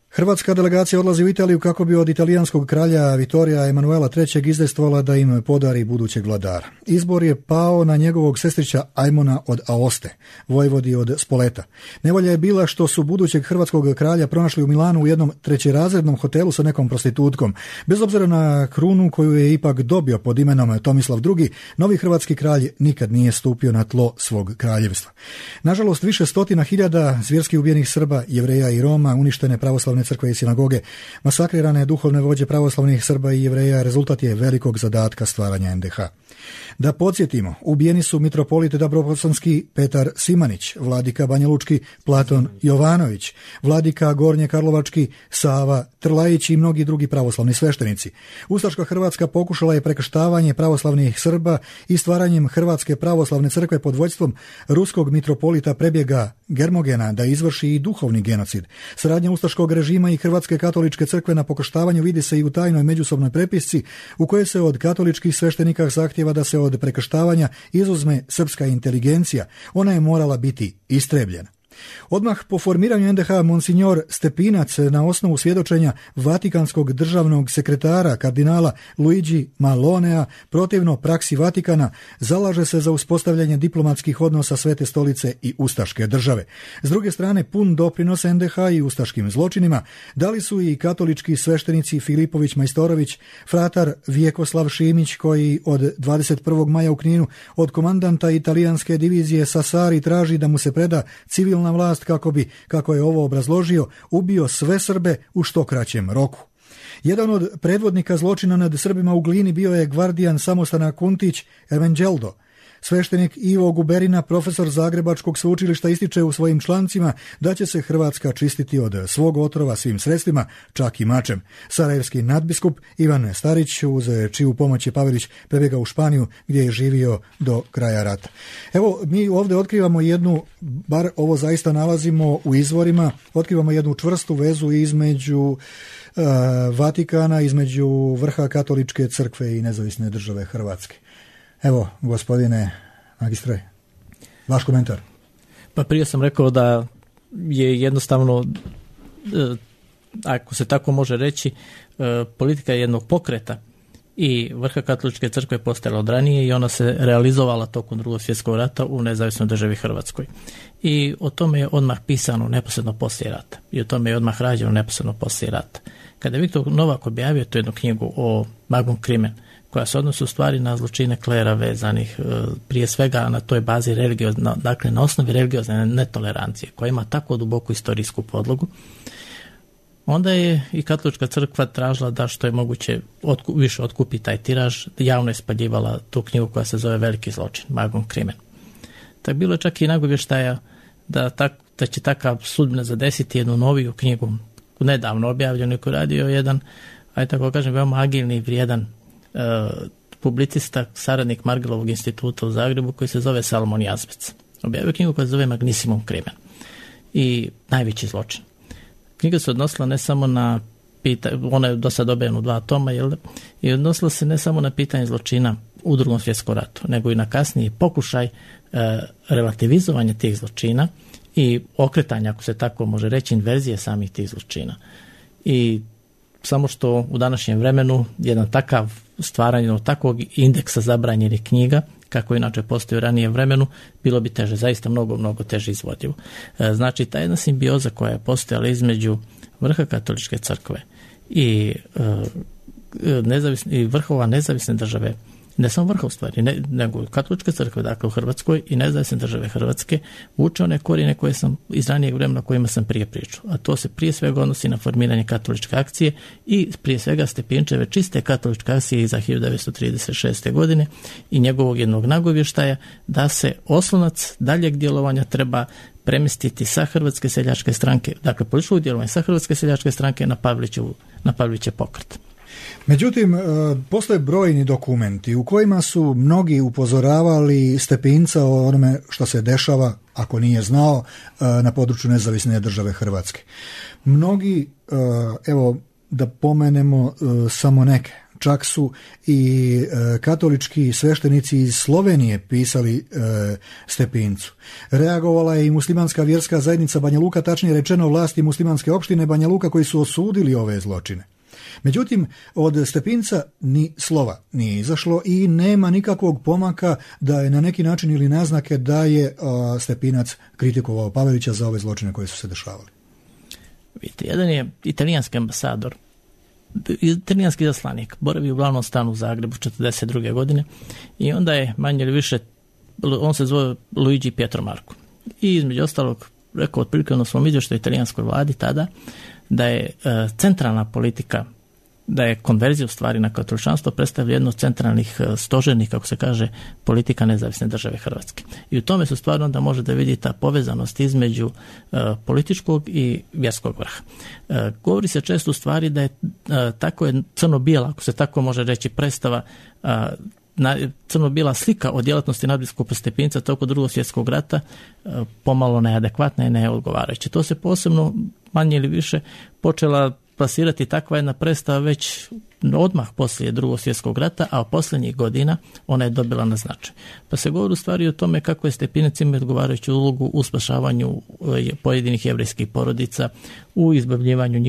hrvatska delegacija odlazi u Italiju kako bi od italijanskog kralja Vittorija Emanuela III. Izdejstvovala da im podari budućeg vladara. Izbor je pao na njegovog sestrića Ajmona od Aoste, vojvodi od Spoleta. Nevolja je bila što su budućeg hrvatskog kralja pronašli u Milanu u jednom trećerazrednom hotelu sa nekom prostitutkom. Bez obzira na krunu koju je ipak dobio pod imenom Tomislav II, novi hrvatski kralj nikad nije stupio na tlo svog kraljevstva. Nažalost, više stotina hiljada zvjerski ubijenih Srba, Jevreja i Roma, uništene pravoslavne crkve i sinagoge, masakrirane duhovne vođe pravoslavnih Srba i Jevreja rezultat je velikog zadatka stvaranja NDH. Da podsjetimo, ubijeni su mitropolit Dabrobosanski Petar Simanić, vladika Banjalučki Platon Jovanović, vladika Gornje Karlovački Sava Trlajić i mnogi drugi pravoslavni sveštenici. Ustaška Hrvatska pokušala je prekrštavanje pravoslavnih Srba i stvaranjem Hrvatske pravoslavne crkve pod vođstvom ruskog mitropolita Prebjega Germogena da izvrši i duhovni genocid. Saradnja ustaškog režima i Hrvatske katoličke crkve na pokrštavanju vidi se i u tajnoj međusobnoj prepisci u kojoj se od katoličkih sveštenika zahtjeva da se od prekrštavanja izuzme srpska inteligencija. Ona je morala biti istrebljena. Odmah po formiranju NDH monsignor Stepinac na osnovu svjedočenja vatikanskog državnog sekretara kardinala Luigi Malonea protivno praksi Vatikana zalaže se za uspostavljanje diplomatskih odnosa Svete stolice i ustaške države. S druge strane, pun doprinos NDH i ustaškim zločinima dali su i katolički sveštenici Filipović Majstorović, fratar Vjekoslav Šimić, koji od 21. maja u Kninu od komandanta italijanske divizije Sassari traži da mu se preda civilna vlast kako bi, kako je ovo obrazložio, ubio sve Srbe u što kraćem roku. Jedan od predvodnika zločina nad Srbima u Glini bio je gvardijan samostana Kuntić Evanđeldo. Sveštenik Ivo Guberina, profesor Zagrebačkog sveučilišta, ističe u svojim člancima da će se Hrvatska čistiti od svog otrova svim sredstvima, čak i mačem. Sarajevski nadbiskup Ivan Starić, uz čiju pomoć je Pavelić prebjegao u Španiju, gdje je živio do kraja rata. Evo, mi ovdje otkrivamo jednu, bar ovo zaista nalazimo u izvorima, otkrivamo jednu čvrstu vezu između Vatikana, između vrha katoličke crkve i nezavisne države Hrvatske. Evo, gospodine magistre, vaš komentar. Pa prije sam rekao da je jednostavno, ako se tako može reći, politika jednog pokreta i vrha katoličke crkve postojala od ranije i ona se realizovala tokom Drugog svjetskog rata u nezavisnoj državi Hrvatskoj. I o tome je odmah pisano neposredno poslije rata i o tome je odmah rađeno neposredno poslije rata. Kada je Viktor Novak objavio tu jednu knjigu o Magum Crimen, koja se odnosi u stvari na zločine klera vezanih prije svega na toj bazi dakle na osnovi religiozne netolerancije, koja ima tako duboku istorijsku podlogu, onda je i katolička crkva tražila da što je moguće više otkupi taj tiraž, javno je spaljivala tu knjigu koja se zove Veliki zločin, Magum Crimen. Tako bilo je čak i nagovještaja da će takav sudbina zadesiti jednu noviju knjigu, nedavno objavljenu, koju radio jedan, ajde tako kažem, veoma agilni i vrijedan publicista, saradnik Margelovog instituta u Zagrebu, koji se zove Salomon Jazbec. Objavio knjigu koja se zove Magnissimum Crimen i najveći zločin. Knjiga se odnosila ne samo na ona je do sad objavljena u 2 toma, i odnosila se ne samo na pitanje zločina u Drugom svjetskom ratu, nego i na kasniji pokušaj relativizovanja tih zločina i okretanja, ako se tako može reći, inverzije samih tih zločina. I samo što u današnjem vremenu jedan takav stvaranje takvog indeksa zabranjenih knjiga, kako inače postoji u ranijem vremenu, bilo bi teže, zaista mnogo teže izvodivo. Znači, ta jedna simbioza koja je postojala između vrha katoličke crkve i vrhova nezavisne države, ne samo vrha u stvari, nego katoličke crkve, dakle u Hrvatskoj i nezavisne države Hrvatske, vuče one korijene koje sam iz ranijeg vremena o kojima sam prije pričao. A to se prije svega odnosi na formiranje katoličke akcije i prije svega Stepinčeve čiste katoličke akcije iza 1936. godine i njegovog jednog nagovještaja da se oslonac daljeg djelovanja treba premjestiti sa Hrvatske seljačke stranke, dakle političkog djelovanja sa Hrvatske seljačke stranke na Pavelićev pokret. Međutim, postoje brojni dokumenti u kojima su mnogi upozoravali Stepinca o onome što se dešava, ako nije znao, na području nezavisne države Hrvatske. Mnogi, evo da pomenemo samo neke, čak su i katolički sveštenici iz Slovenije pisali Stepincu. Reagovala je i muslimanska vjerska zajednica Banja Luka, tačnije rečeno vlasti muslimanske opštine Banja Luka, koji su osudili ove zločine. Međutim, od Stepinca ni slova nije izašlo i nema nikakvog pomaka da je na neki način ili naznake da je Stepinac kritikovao Pavelića za ove zločine koje su se dešavali. Vidite, jedan je italijanski ambasador, italijanski zaslanik, boravi u glavnom stanu u Zagrebu 1942. godine i onda je manje ili više, on se zove Luigi Pietro Marco. I između ostalog rekao otprilike na svom izvještaju italijanskoj vladi tada da je centralna politika, da je konverzija u stvari na katoličanstvo predstavlja jedno od centralnih stožernih, kako se kaže, politika nezavisne države Hrvatske. I u tome se stvarno da može da vidi ta povezanost između političkog i vjerskog vrha. Govori se često u stvari da je tako je crno-bijela, ako se tako može reći, predstava crno-bijela slika o djelatnosti nadbiskupa Stepinca tokom Drugog svjetskog rata pomalo neadekvatna i neodgovarajuća. To se posebno manje ili više počela plasirati takva jedna predstava već odmah poslije Drugog svjetskog rata, a u posljednjih godina ona je dobila na značaj. Pa se govori u stvari o tome kako je Stepinac imao odgovarajuću ulogu u spašavanju pojedinih jevrejskih porodica, u izbavljivanju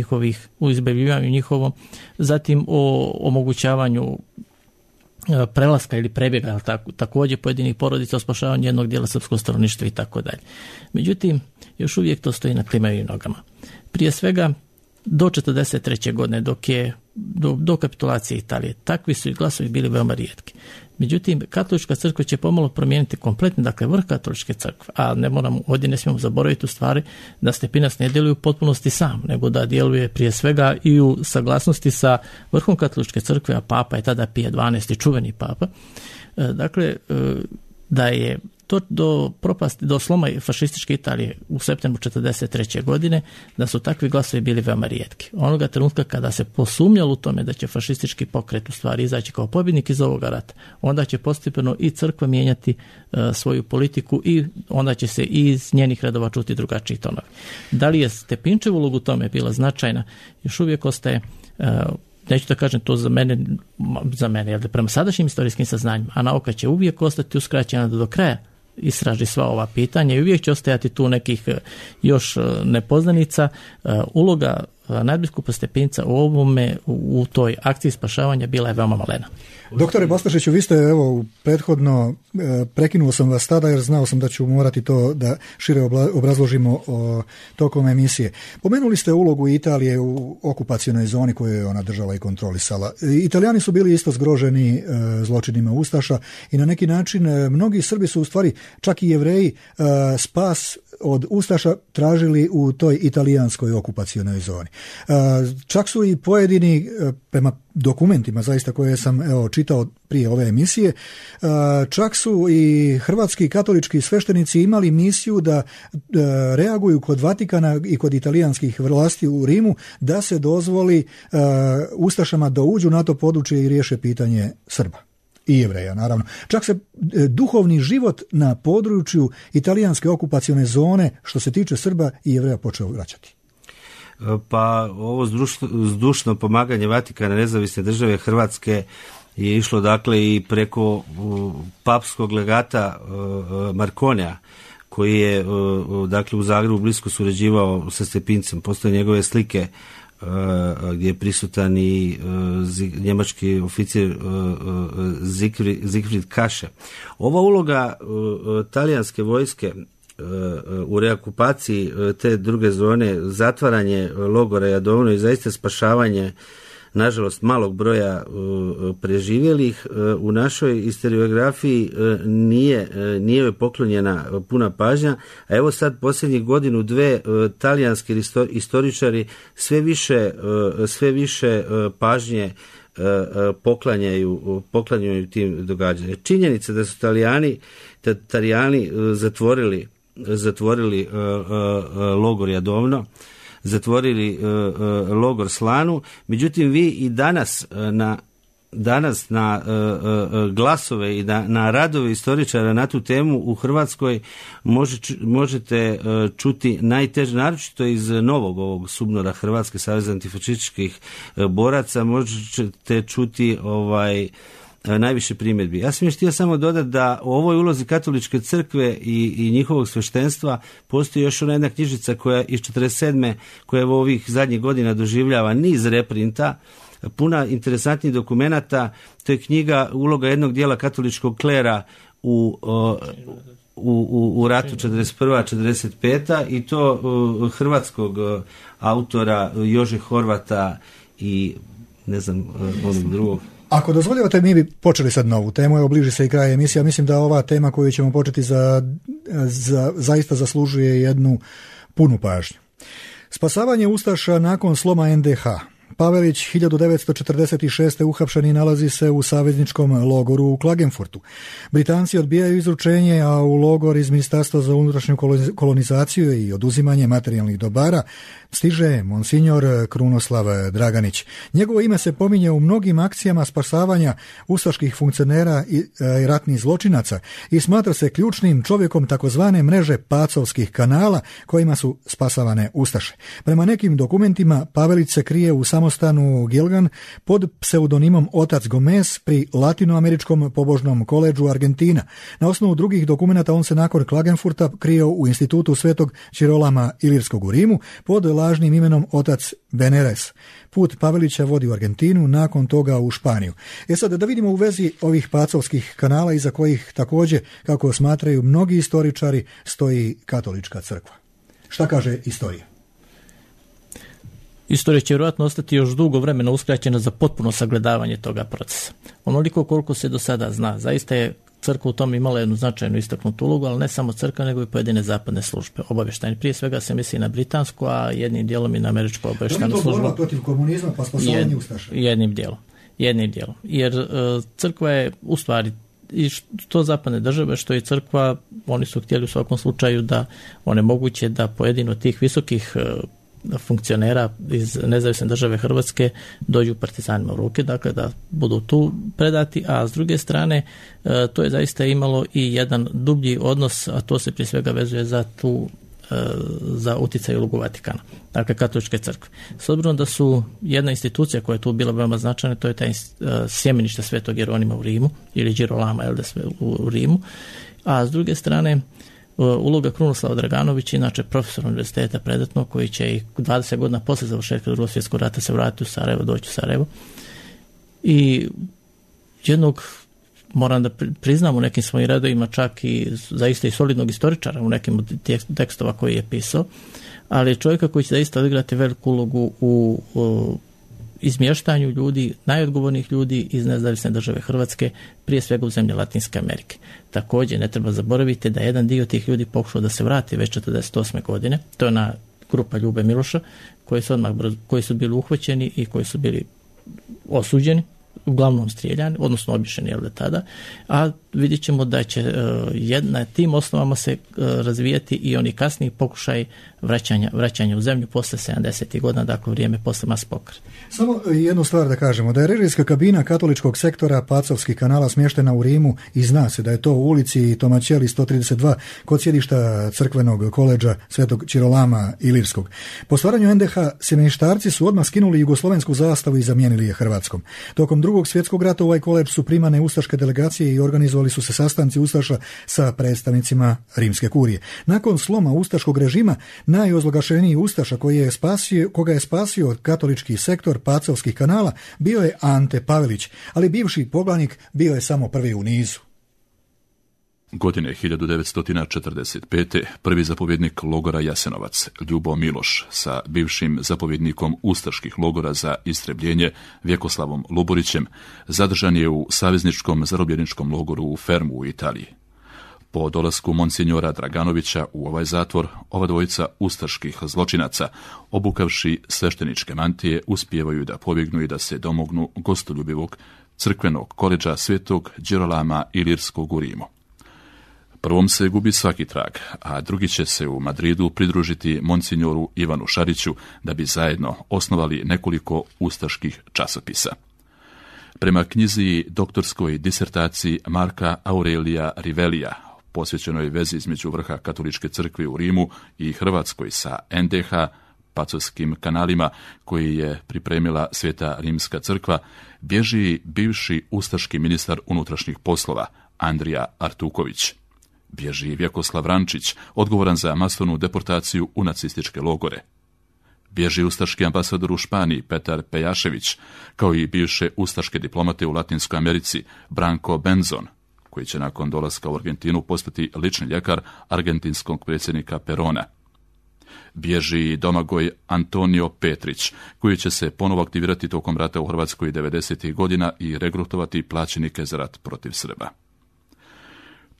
njihovom, zatim o omogućavanju prelaska ili prebjega, također pojedinih porodica, o spašavanju jednog dijela srpskog stanovništva i tako dalje. Međutim, još uvijek to stoji na klimavim nogama. Prije svega, do 1943. godine, do kapitulacije Italije, takvi su i glasovi bili veoma rijetki. Međutim, katolička crkva će pomalo promijeniti kompletni, dakle vrh katoličke crkve, a ovdje ne smijemo zaboraviti u stvari da Stepinac ne djeluje u potpunosti sam, nego da djeluje prije svega i u saglasnosti sa vrhom katoličke crkve, a papa je tada Pije XII, čuveni papa. Dakle, da je to do sloma fašističke Italije u septembru 1943. godine, da su takvi glasovi bili veoma rijetki. Onoga trenutka kada se posumnjalo u tome da će fašistički pokret u stvari izaći kao pobjednik iz ovoga rata, onda će postepeno i crkva mijenjati svoju politiku i onda će se i iz njenih redova čuti drugačiji tonovi. Da li je Stepinčev ulog u tome bila značajna, još uvijek ostaje, neću da kažem to za mene, jer prema sadašnjim istorijskim saznanjima, a nauka će uvijek ostati uskraćena da do kraja istraži sva ova pitanja i uvijek će ostajati tu nekih još nepoznanica. Uloga nadbiskupa Stepinca u toj akciji spašavanja bila je veoma malena. Doktore Bastašiću, vi ste prethodno, prekinuo sam vas tada jer znao sam da ću morati to da šire obrazložimo tokom emisije. Pomenuli ste ulogu Italije u okupacionoj zoni koju je ona držala i kontrolisala. Italijani su bili isto zgroženi zločinima ustaša i na neki način mnogi Srbi su u stvari, čak i Jevreji, spas od ustaša tražili u toj italijanskoj okupacionoj zoni. Čak su i pojedini, prema dokumentima zaista koje sam čitao prije ove emisije, čak su i hrvatski katolički sveštenici imali misiju da reaguju kod Vatikana i kod italijanskih vlasti u Rimu da se dozvoli ustašama da uđu na to područje i riješe pitanje Srba i Jevreja, naravno. Čak se duhovni život na području italijanske okupacione zone, što se tiče Srba i Jevreja, počeo vraćati. Pa ovo zdušno pomaganje Vatikana nezavisne države Hrvatske je išlo dakle i preko papskog legata Markonija, koji je dakle u Zagrebu blisko surađivao sa Stepincem. Postoje njegove slike gdje je prisutan i njemački oficir Siegfried Kasche. Ova uloga talijanske vojske u reokupaciji te druge zone, zatvaranje logora Jadovno i zaista spašavanje nažalost malog broja preživjelih u našoj historiografiji nije joj poklonjena puna pažnja, a evo sad posljednjih godinu, dve talijanski istoričari sve više pažnje poklanjaju tim događanjima. Činjenica da su Talijani zatvorili logor Jadovno, zatvorili logor Slanu, međutim vi i danas na glasove i na radove istoričara na tu temu u Hrvatskoj možete čuti najteže, naročito iz novog ovog subnora Hrvatske saveza antifašističkih boraca, možete čuti najviše primjedbi. Ja sam još htio samo dodati da u ovoj ulozi katoličke crkve i njihovog sveštenstva postoji još ona jedna knjižica koja iz 47. koja u ovih zadnjih godina doživljava niz reprinta, puna interesantnih dokumenata. To je knjiga Uloga jednog dijela katoličkog klera u ratu 41-45 i to hrvatskog autora Jože Horvata i ne znam onog drugog. Ako dozvoljavate, mi bi počeli sad novu temu, evo bliži se i kraj emisija. Mislim da ova tema koju ćemo početi zaista zaslužuje jednu punu pažnju. Spasavanje ustaša nakon sloma NDH. Pavelić 1946. uhapšen i nalazi se u savezničkom logoru u Klagenfurtu. Britanci odbijaju izručenje, a u logor iz Ministarstva za unutrašnju kolonizaciju i oduzimanje materijalnih dobara stiže monsignor Krunoslav Draganić. Njegovo ime se pominje u mnogim akcijama spasavanja ustaških funkcionera i ratnih zločinaca i smatra se ključnim čovjekom takozvane mreže pacovskih kanala kojima su spasavane ustaše. Prema nekim dokumentima Pavelić se krije u samostanu Gilgan pod pseudonimom Otac Gomez pri Latinoameričkom pobožnom koledžu Argentina. Na osnovu drugih dokumenata on se nakon Klagenfurta krio u institutu Svetog Čirolama Ilirskog u Rimu pod lažnim imenom Otac Beneres. Put Pavelića vodi u Argentinu, nakon toga u Španiju. Sad da vidimo u vezi ovih pacovskih kanala iza kojih također, kako smatraju mnogi istoričari, stoji katolička crkva. Šta kaže istorija? Istorija će vjerojatno ostati još dugo vremena uskraćena za potpuno sagledavanje toga procesa. Onoliko koliko se do sada zna, zaista je crkva u tom imala jednu značajnu istaknutu ulogu, ali ne samo crkva, nego i pojedine zapadne službe obavještajne. Prije svega se misli na britansku, a jednim dijelom i na američku obavještajnu službu. Borba protiv komunizma pa spasavanje ustaša. Jednim dijelom. Jer crkva je u stvari i što zapadne države, što i crkva, oni su htjeli u svakom slučaju da onemoguće da pojedino tih visokih funkcionera iz nezavisne države Hrvatske dođu partizanima u ruke, dakle da budu tu predati, a s druge strane to je zaista imalo i jedan dublji odnos, a to se prije svega vezuje za utjecaj i ulogu Vatikana, dakle katoličke crkve. S obzirom da su jedna institucija koja je tu bila veoma značajna, to je taj sjemenište Svetog Jeronima u Rimu ili Girolama u Rimu, a s druge strane Uloga Krunoslava Draganovića, inače profesor univerziteta predatno, koji će i 20 godina posle završetka Drugog svjetskog rata se vratiti u Sarajevo, doći u Sarajevo. I jednog, moram da priznam, u nekim svojim redovima čak i zaista i solidnog istoričara u nekim od tekstova koji je pisao, ali čovjeka koji će zaista odigrati veliku ulogu u izmještanju ljudi, najodgovornijih ljudi iz nezavisne države Hrvatske, prije svega u zemlje Latinske Amerike. Također ne treba zaboraviti da jedan dio tih ljudi pokušao da se vrati već 1948. godine. To je ona grupa Ljube Miloša koji su bili uhvaćeni i koji su bili osuđeni, uglavnom strijeljani, odnosno obješeni tada, a vidjet ćemo da će na tim osnovama se razvijati i oni kasniji pokušaj vraćanja u zemlju posle 70. godina, dakle vrijeme posle mas pokreta. Samo jednu stvar da kažemo, da je režijska kabina katoličkog sektora Pacovskih kanala smještena u Rimu i zna se da je to u ulici Tomačeli 132 kod sjedišta crkvenog koledža Svetog Čirolama Ilirskog. Po stvaranju NDH semeništarci su odmah skinuli jugoslovensku zastavu i zamijenili je hrvatskom. Tokom Drugog svjetskog rata u ovaj koledž su primane ustaške delegacije i organizovali su se sastanci ustaša sa predstavnicima rimske kurije. Nakon sloma ustaškog režima, najozloglašeniji ustaša koga je spasio katolički sektor Pacovskih kanala bio je Ante Pavelić, ali bivši poglavnik bio je samo prvi u nizu. Godine 1945. prvi zapovjednik logora Jasenovac, Ljubo Miloš, sa bivšim zapovjednikom ustaških logora za istrebljenje Vjekoslavom Luburićem, zadržan je u savezničkom zarobljeničkom logoru u Fermu u Italiji. Po dolasku monsinjora Draganovića u ovaj zatvor, ova dvojica ustaških zločinaca, obukavši svešteničke mantije, uspijevaju da pobjegnu i da se domognu gostoljubivog crkvenog koledža Svetog Đerolama Ilirskog u Rimu. Prvom se gubi svaki trag, a drugi će se u Madridu pridružiti monsinjoru Ivanu Šariću da bi zajedno osnovali nekoliko ustaških časopisa. Prema knjizi doktorskoj disertaciji Marka Aurelija Rivelija, posvećenoj vezi između vrha katoličke crkve u Rimu i Hrvatskoj sa NDH, Pacovskim kanalima, koji je pripremila Sveta Rimska crkva, bježi bivši ustaški ministar unutrašnjih poslova Andrija Artuković. Bježi Vjekoslav Rančić, odgovoran za masovnu deportaciju u nacističke logore. Bježi ustaški ambasador u Španiji Petar Pejašević, kao i bivše ustaške diplomate u Latinskoj Americi Branko Benzon, koji će nakon dolaska u Argentinu postati lični ljekar argentinskog predsjednika Perona. Bježi Domagoj Antonio Petrić, koji će se ponovo aktivirati tokom rata u Hrvatskoj 90. godina i regrutovati plaćenike za rat protiv Srba.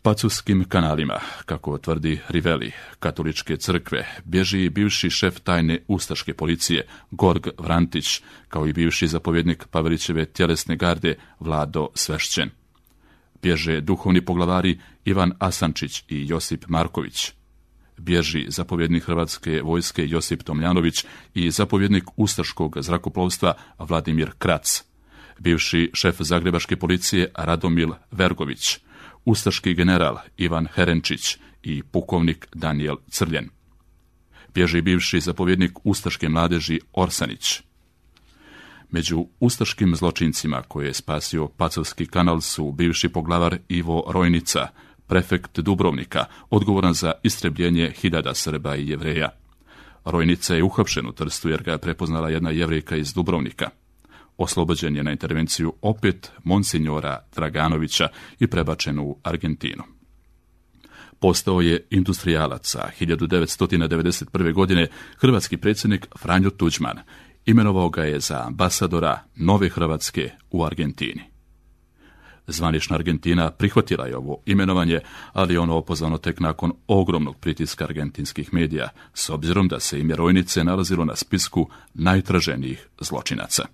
Pacovskim kanalima, kako tvrdi Riveli, katoličke crkve, bježi i bivši šef tajne ustaške policije Gorg Vrantić, kao i bivši zapovjednik Pavelićeve tjelesne garde Vlado Svešćen. Bježe duhovni poglavari Ivan Asančić i Josip Marković. Bježi zapovjednik Hrvatske vojske Josip Tomljanović i zapovjednik ustaškog zrakoplovstva Vladimir Krac. Bivši šef zagrebačke policije Radomil Vergović. Ustaški general Ivan Herenčić i pukovnik Daniel Crljen. Bježi bivši zapovjednik ustaške mladeži Orsanić. Među ustaškim zločincima koje je spasio Pacovski kanal su bivši poglavar Ivo Rojnica, prefekt Dubrovnika, odgovoran za istrebljenje hiljada Srba i Jevreja. Rojnica je uhapšen u Trstu jer ga je prepoznala jedna Jevrejka iz Dubrovnika. Oslobođen je na intervenciju opet monsinjora Draganovića i prebačen u Argentinu. Postao je industrijalac, a 1991. godine hrvatski predsjednik Franjo Tuđman imenovao ga je za ambasadora Nove Hrvatske u Argentini. Zvanična Argentina prihvatila je ovo imenovanje, ali ono opozvano tek nakon ogromnog pritiska argentinskih medija, s obzirom da se ime Rojnice nalazilo na spisku najtraženijih zločinaca.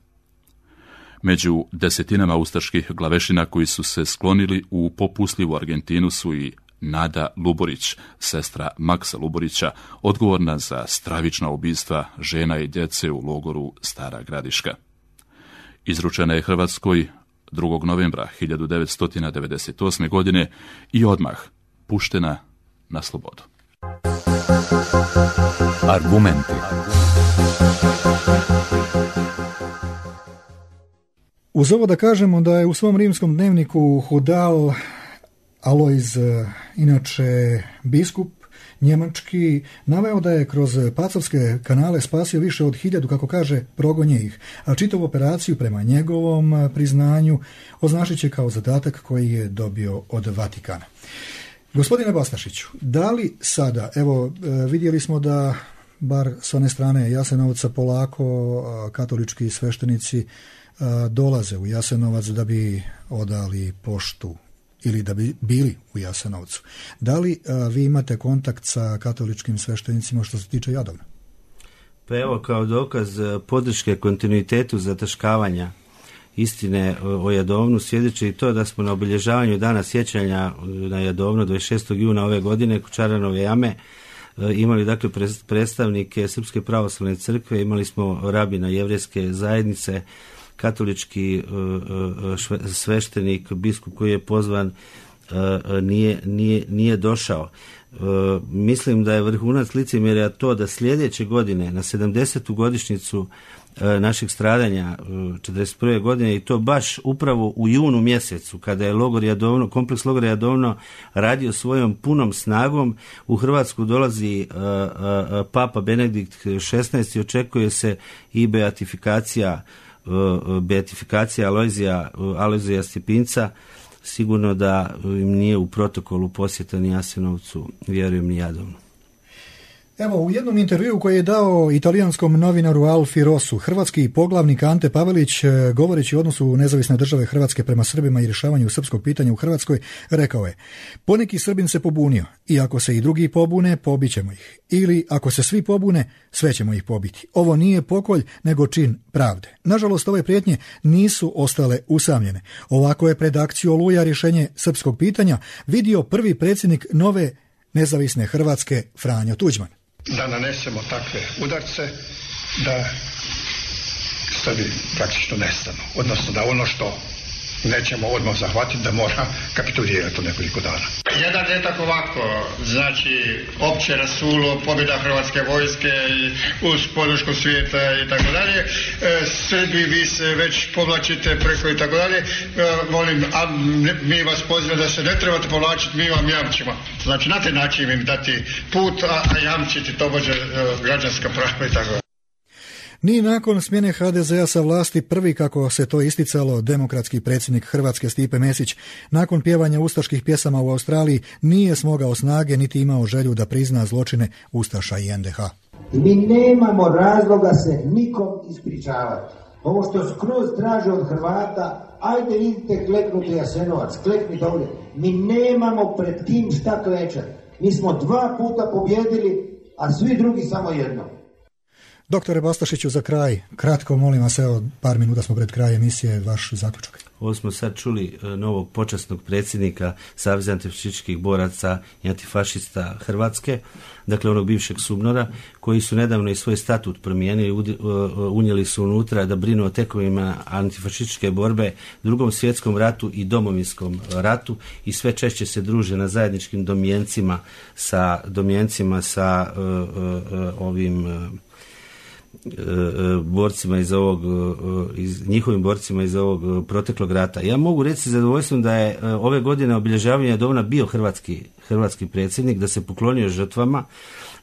Među desetinama ustaških glavešina koji su se sklonili u popustljivu Argentinu su i Nada Luborić, sestra Maksa Luborića, odgovorna za stravična ubistva žena i djece u logoru Stara Gradiška. Izručena je Hrvatskoj 2. novembra 1998. godine i odmah puštena na slobodu. Argumenti. Uz ovo da kažemo da je u svom rimskom dnevniku Hudal Alojz, inače biskup njemački, naveo da je kroz pacovske kanale spasio više od 1000, kako kaže, progonje ih, a čitavu operaciju prema njegovom priznanju označit će kao zadatak koji je dobio od Vatikana. Gospodine Bastašiću, da li sada, evo vidjeli smo da bar s one strane Jasenovca polako katolički sveštenici dolaze u Jasenovac da bi odali poštu ili da bi bili u Jasenovcu. Da li vi imate kontakt sa katoličkim sveštenicima što se tiče Jadovna? Pa evo, kao dokaz podrške kontinuitetu zataškavanja istine o Jadovnu svjedoči i to da smo na obilježavanju dana sjećanja na Jadovnu 26. juna ove godine kod Čaranove jame imali dakle predstavnike Srpske pravoslavne crkve, imali smo rabina jevrejske zajednice, katolički sveštenik, biskup koji je pozvan nije došao. Mislim da je vrhunac licemjerja to da sljedeće godine na 70. godišnjicu našeg stradanja 41. godine i to baš upravo u junu mjesecu kada je kompleks logora Jadovno radio svojom punom snagom, u Hrvatsku dolazi Papa Benedikt XVI i očekuje se i beatifikacija Alojzija Stjepinca. Sigurno da im nije u protokolu posjeta ni Jasenovcu, vjerujem ni Jadovnu. Evo, u jednom intervjuu koji je dao italijanskom novinaru Alfi Rosu, hrvatski poglavnik Ante Pavelić, govoreći o odnosu nezavisne države Hrvatske prema Srbima i rješavanju srpskog pitanja u Hrvatskoj, rekao je: poneki Srbin se pobunio i ako se i drugi pobune, pobićemo ih. Ili ako se svi pobune, sve ćemo ih pobiti. Ovo nije pokolj, nego čin pravde. Nažalost, ove prijetnje nisu ostale usamljene. Ovako je pred akciju Oluja rješenje srpskog pitanja vidio prvi predsjednik nove nezavisne Hrvatske, Franjo Tuđman. Da nanesemo takve udarce da Srbi praktično nestanu. Odnosno da ono što nećemo odmah zahvatiti da mora kapitulirati u nekoliko dana. Jedan detak ovako, znači opće rasulo, pobjeda hrvatske vojske uz podršku svijeta i tako dalje. Srbi, vi se već povlačite preko i tako dalje. Molim, a mi vas pozivamo da se ne trebate povlačiti, mi vam jamčimo. Znači na taj način im dati put, a jamčiti tobože građanska prava i tako dalje. Ni nakon smjene HDZ-a sa vlasti prvi, kako se to isticalo, demokratski predsjednik Hrvatske Stipe Mesić nakon pjevanja ustaških pjesama u Australiji nije smogao snage niti imao želju da prizna zločine Ustaša i NDH. Mi nemamo razloga se nikom ispričavati. Ovo što skroz traže od Hrvata, ajde idite kleknuti Jasenovac, kleknite ovdje. Mi nemamo pred kim šta klečati. Mi smo 2 puta pobjedili, a svi drugi samo jedno. Doktore Bastašiću, za kraj, kratko molim vas, evo par minuta smo pred kraj emisije, vaš zaključak. Ovo smo sad čuli novog počasnog predsjednika Saveza antifašističkih boraca i antifašista Hrvatske, dakle onog bivšeg SUBNOR-a, koji su nedavno i svoj statut promijenili, unijeli su unutra da brinu o tekovima antifašističke borbe, Drugom svjetskom ratu i Domovinskom ratu i sve češće se druže na zajedničkim domjencima sa ovim borcima njihovim borcima iz ovog proteklog rata. Ja mogu reći sa zadovoljstvom da je ove godine obilježavanja Jadovna bio hrvatski predsjednik, da se poklonio žrtvama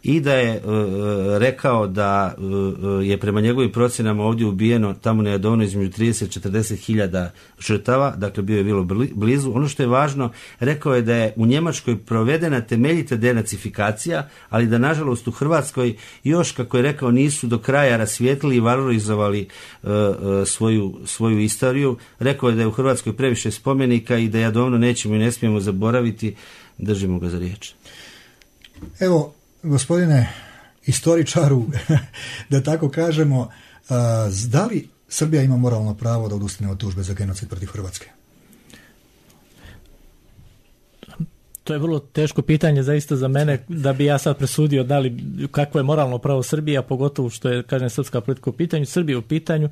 i da je rekao da je prema njegovim procjenama ovdje ubijeno tamo na Jadovnu između 30-40 hiljada žrtava, dakle bio je bilo blizu. Ono što je važno, rekao je da je u Njemačkoj provedena temeljita denacifikacija, ali da nažalost u Hrvatskoj još, kako je rekao, nisu do kraja rasvijetlili i valorizovali svoju istoriju. Rekao je da je u Hrvatskoj previše spomenika i da Jadovno nećemo i ne smijemo zaboraviti. Držimo ga za riječ. Evo, gospodine istoričaru, da tako kažemo, da li Srbija ima moralno pravo da odustane od tužbe za genocid protiv Hrvatske? To je vrlo teško pitanje zaista za mene, da bi ja sad presudio kakvo je moralno pravo Srbije, a pogotovo što je, kažem, srpska politika u pitanju, Srbija u pitanju.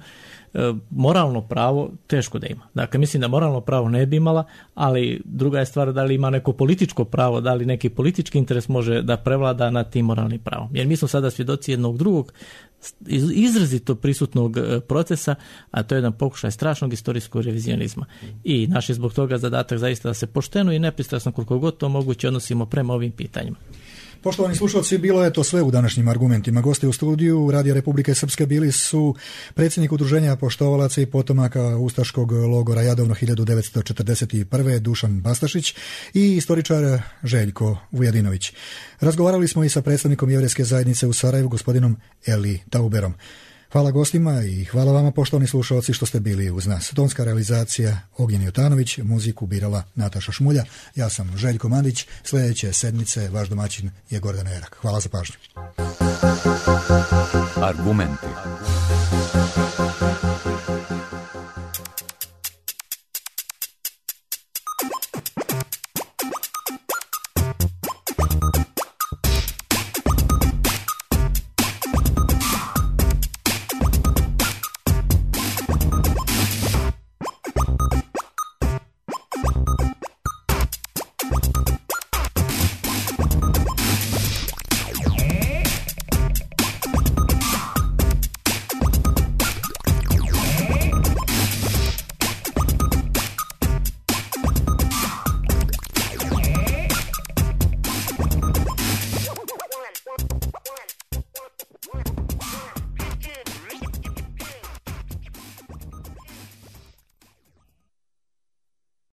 Moralno pravo teško da ima. Dakle, mislim da moralno pravo ne bi imala, ali druga je stvar da li ima neko političko pravo, da li neki politički interes može da prevlada nad tim moralnim pravom. Jer mi smo sada svjedoci jednog drugog izrazito prisutnog procesa, a to je jedan pokušaj strašnog istorijskog revizionizma. I naš je zbog toga zadatak zaista da se pošteno i nepristrasno koliko god to moguće odnosimo prema ovim pitanjima. Poštovani slušalci, bilo je to sve u današnjim argumentima. Gosti u studiju Radio Republike Srpske bili su predsjednik Udruženja poštovalaca i potomaka ustaškog logora Jadovno 1941. Dušan Bastašić i istoričar Željko Vujadinović. Razgovarali smo i sa predstavnikom jevrejske zajednice u Sarajevu, gospodinom Eli Tauberom. Hvala gostima i hvala vama, poštovani slušalci, što ste bili uz nas. Tonska realizacija Ognjen Jotanović, muziku birala Nataša Šmulja. Ja sam Željko Mandić. Sljedeće sedmice vaš domaćin je Gordan Erak. Hvala za pažnju. Argumenti.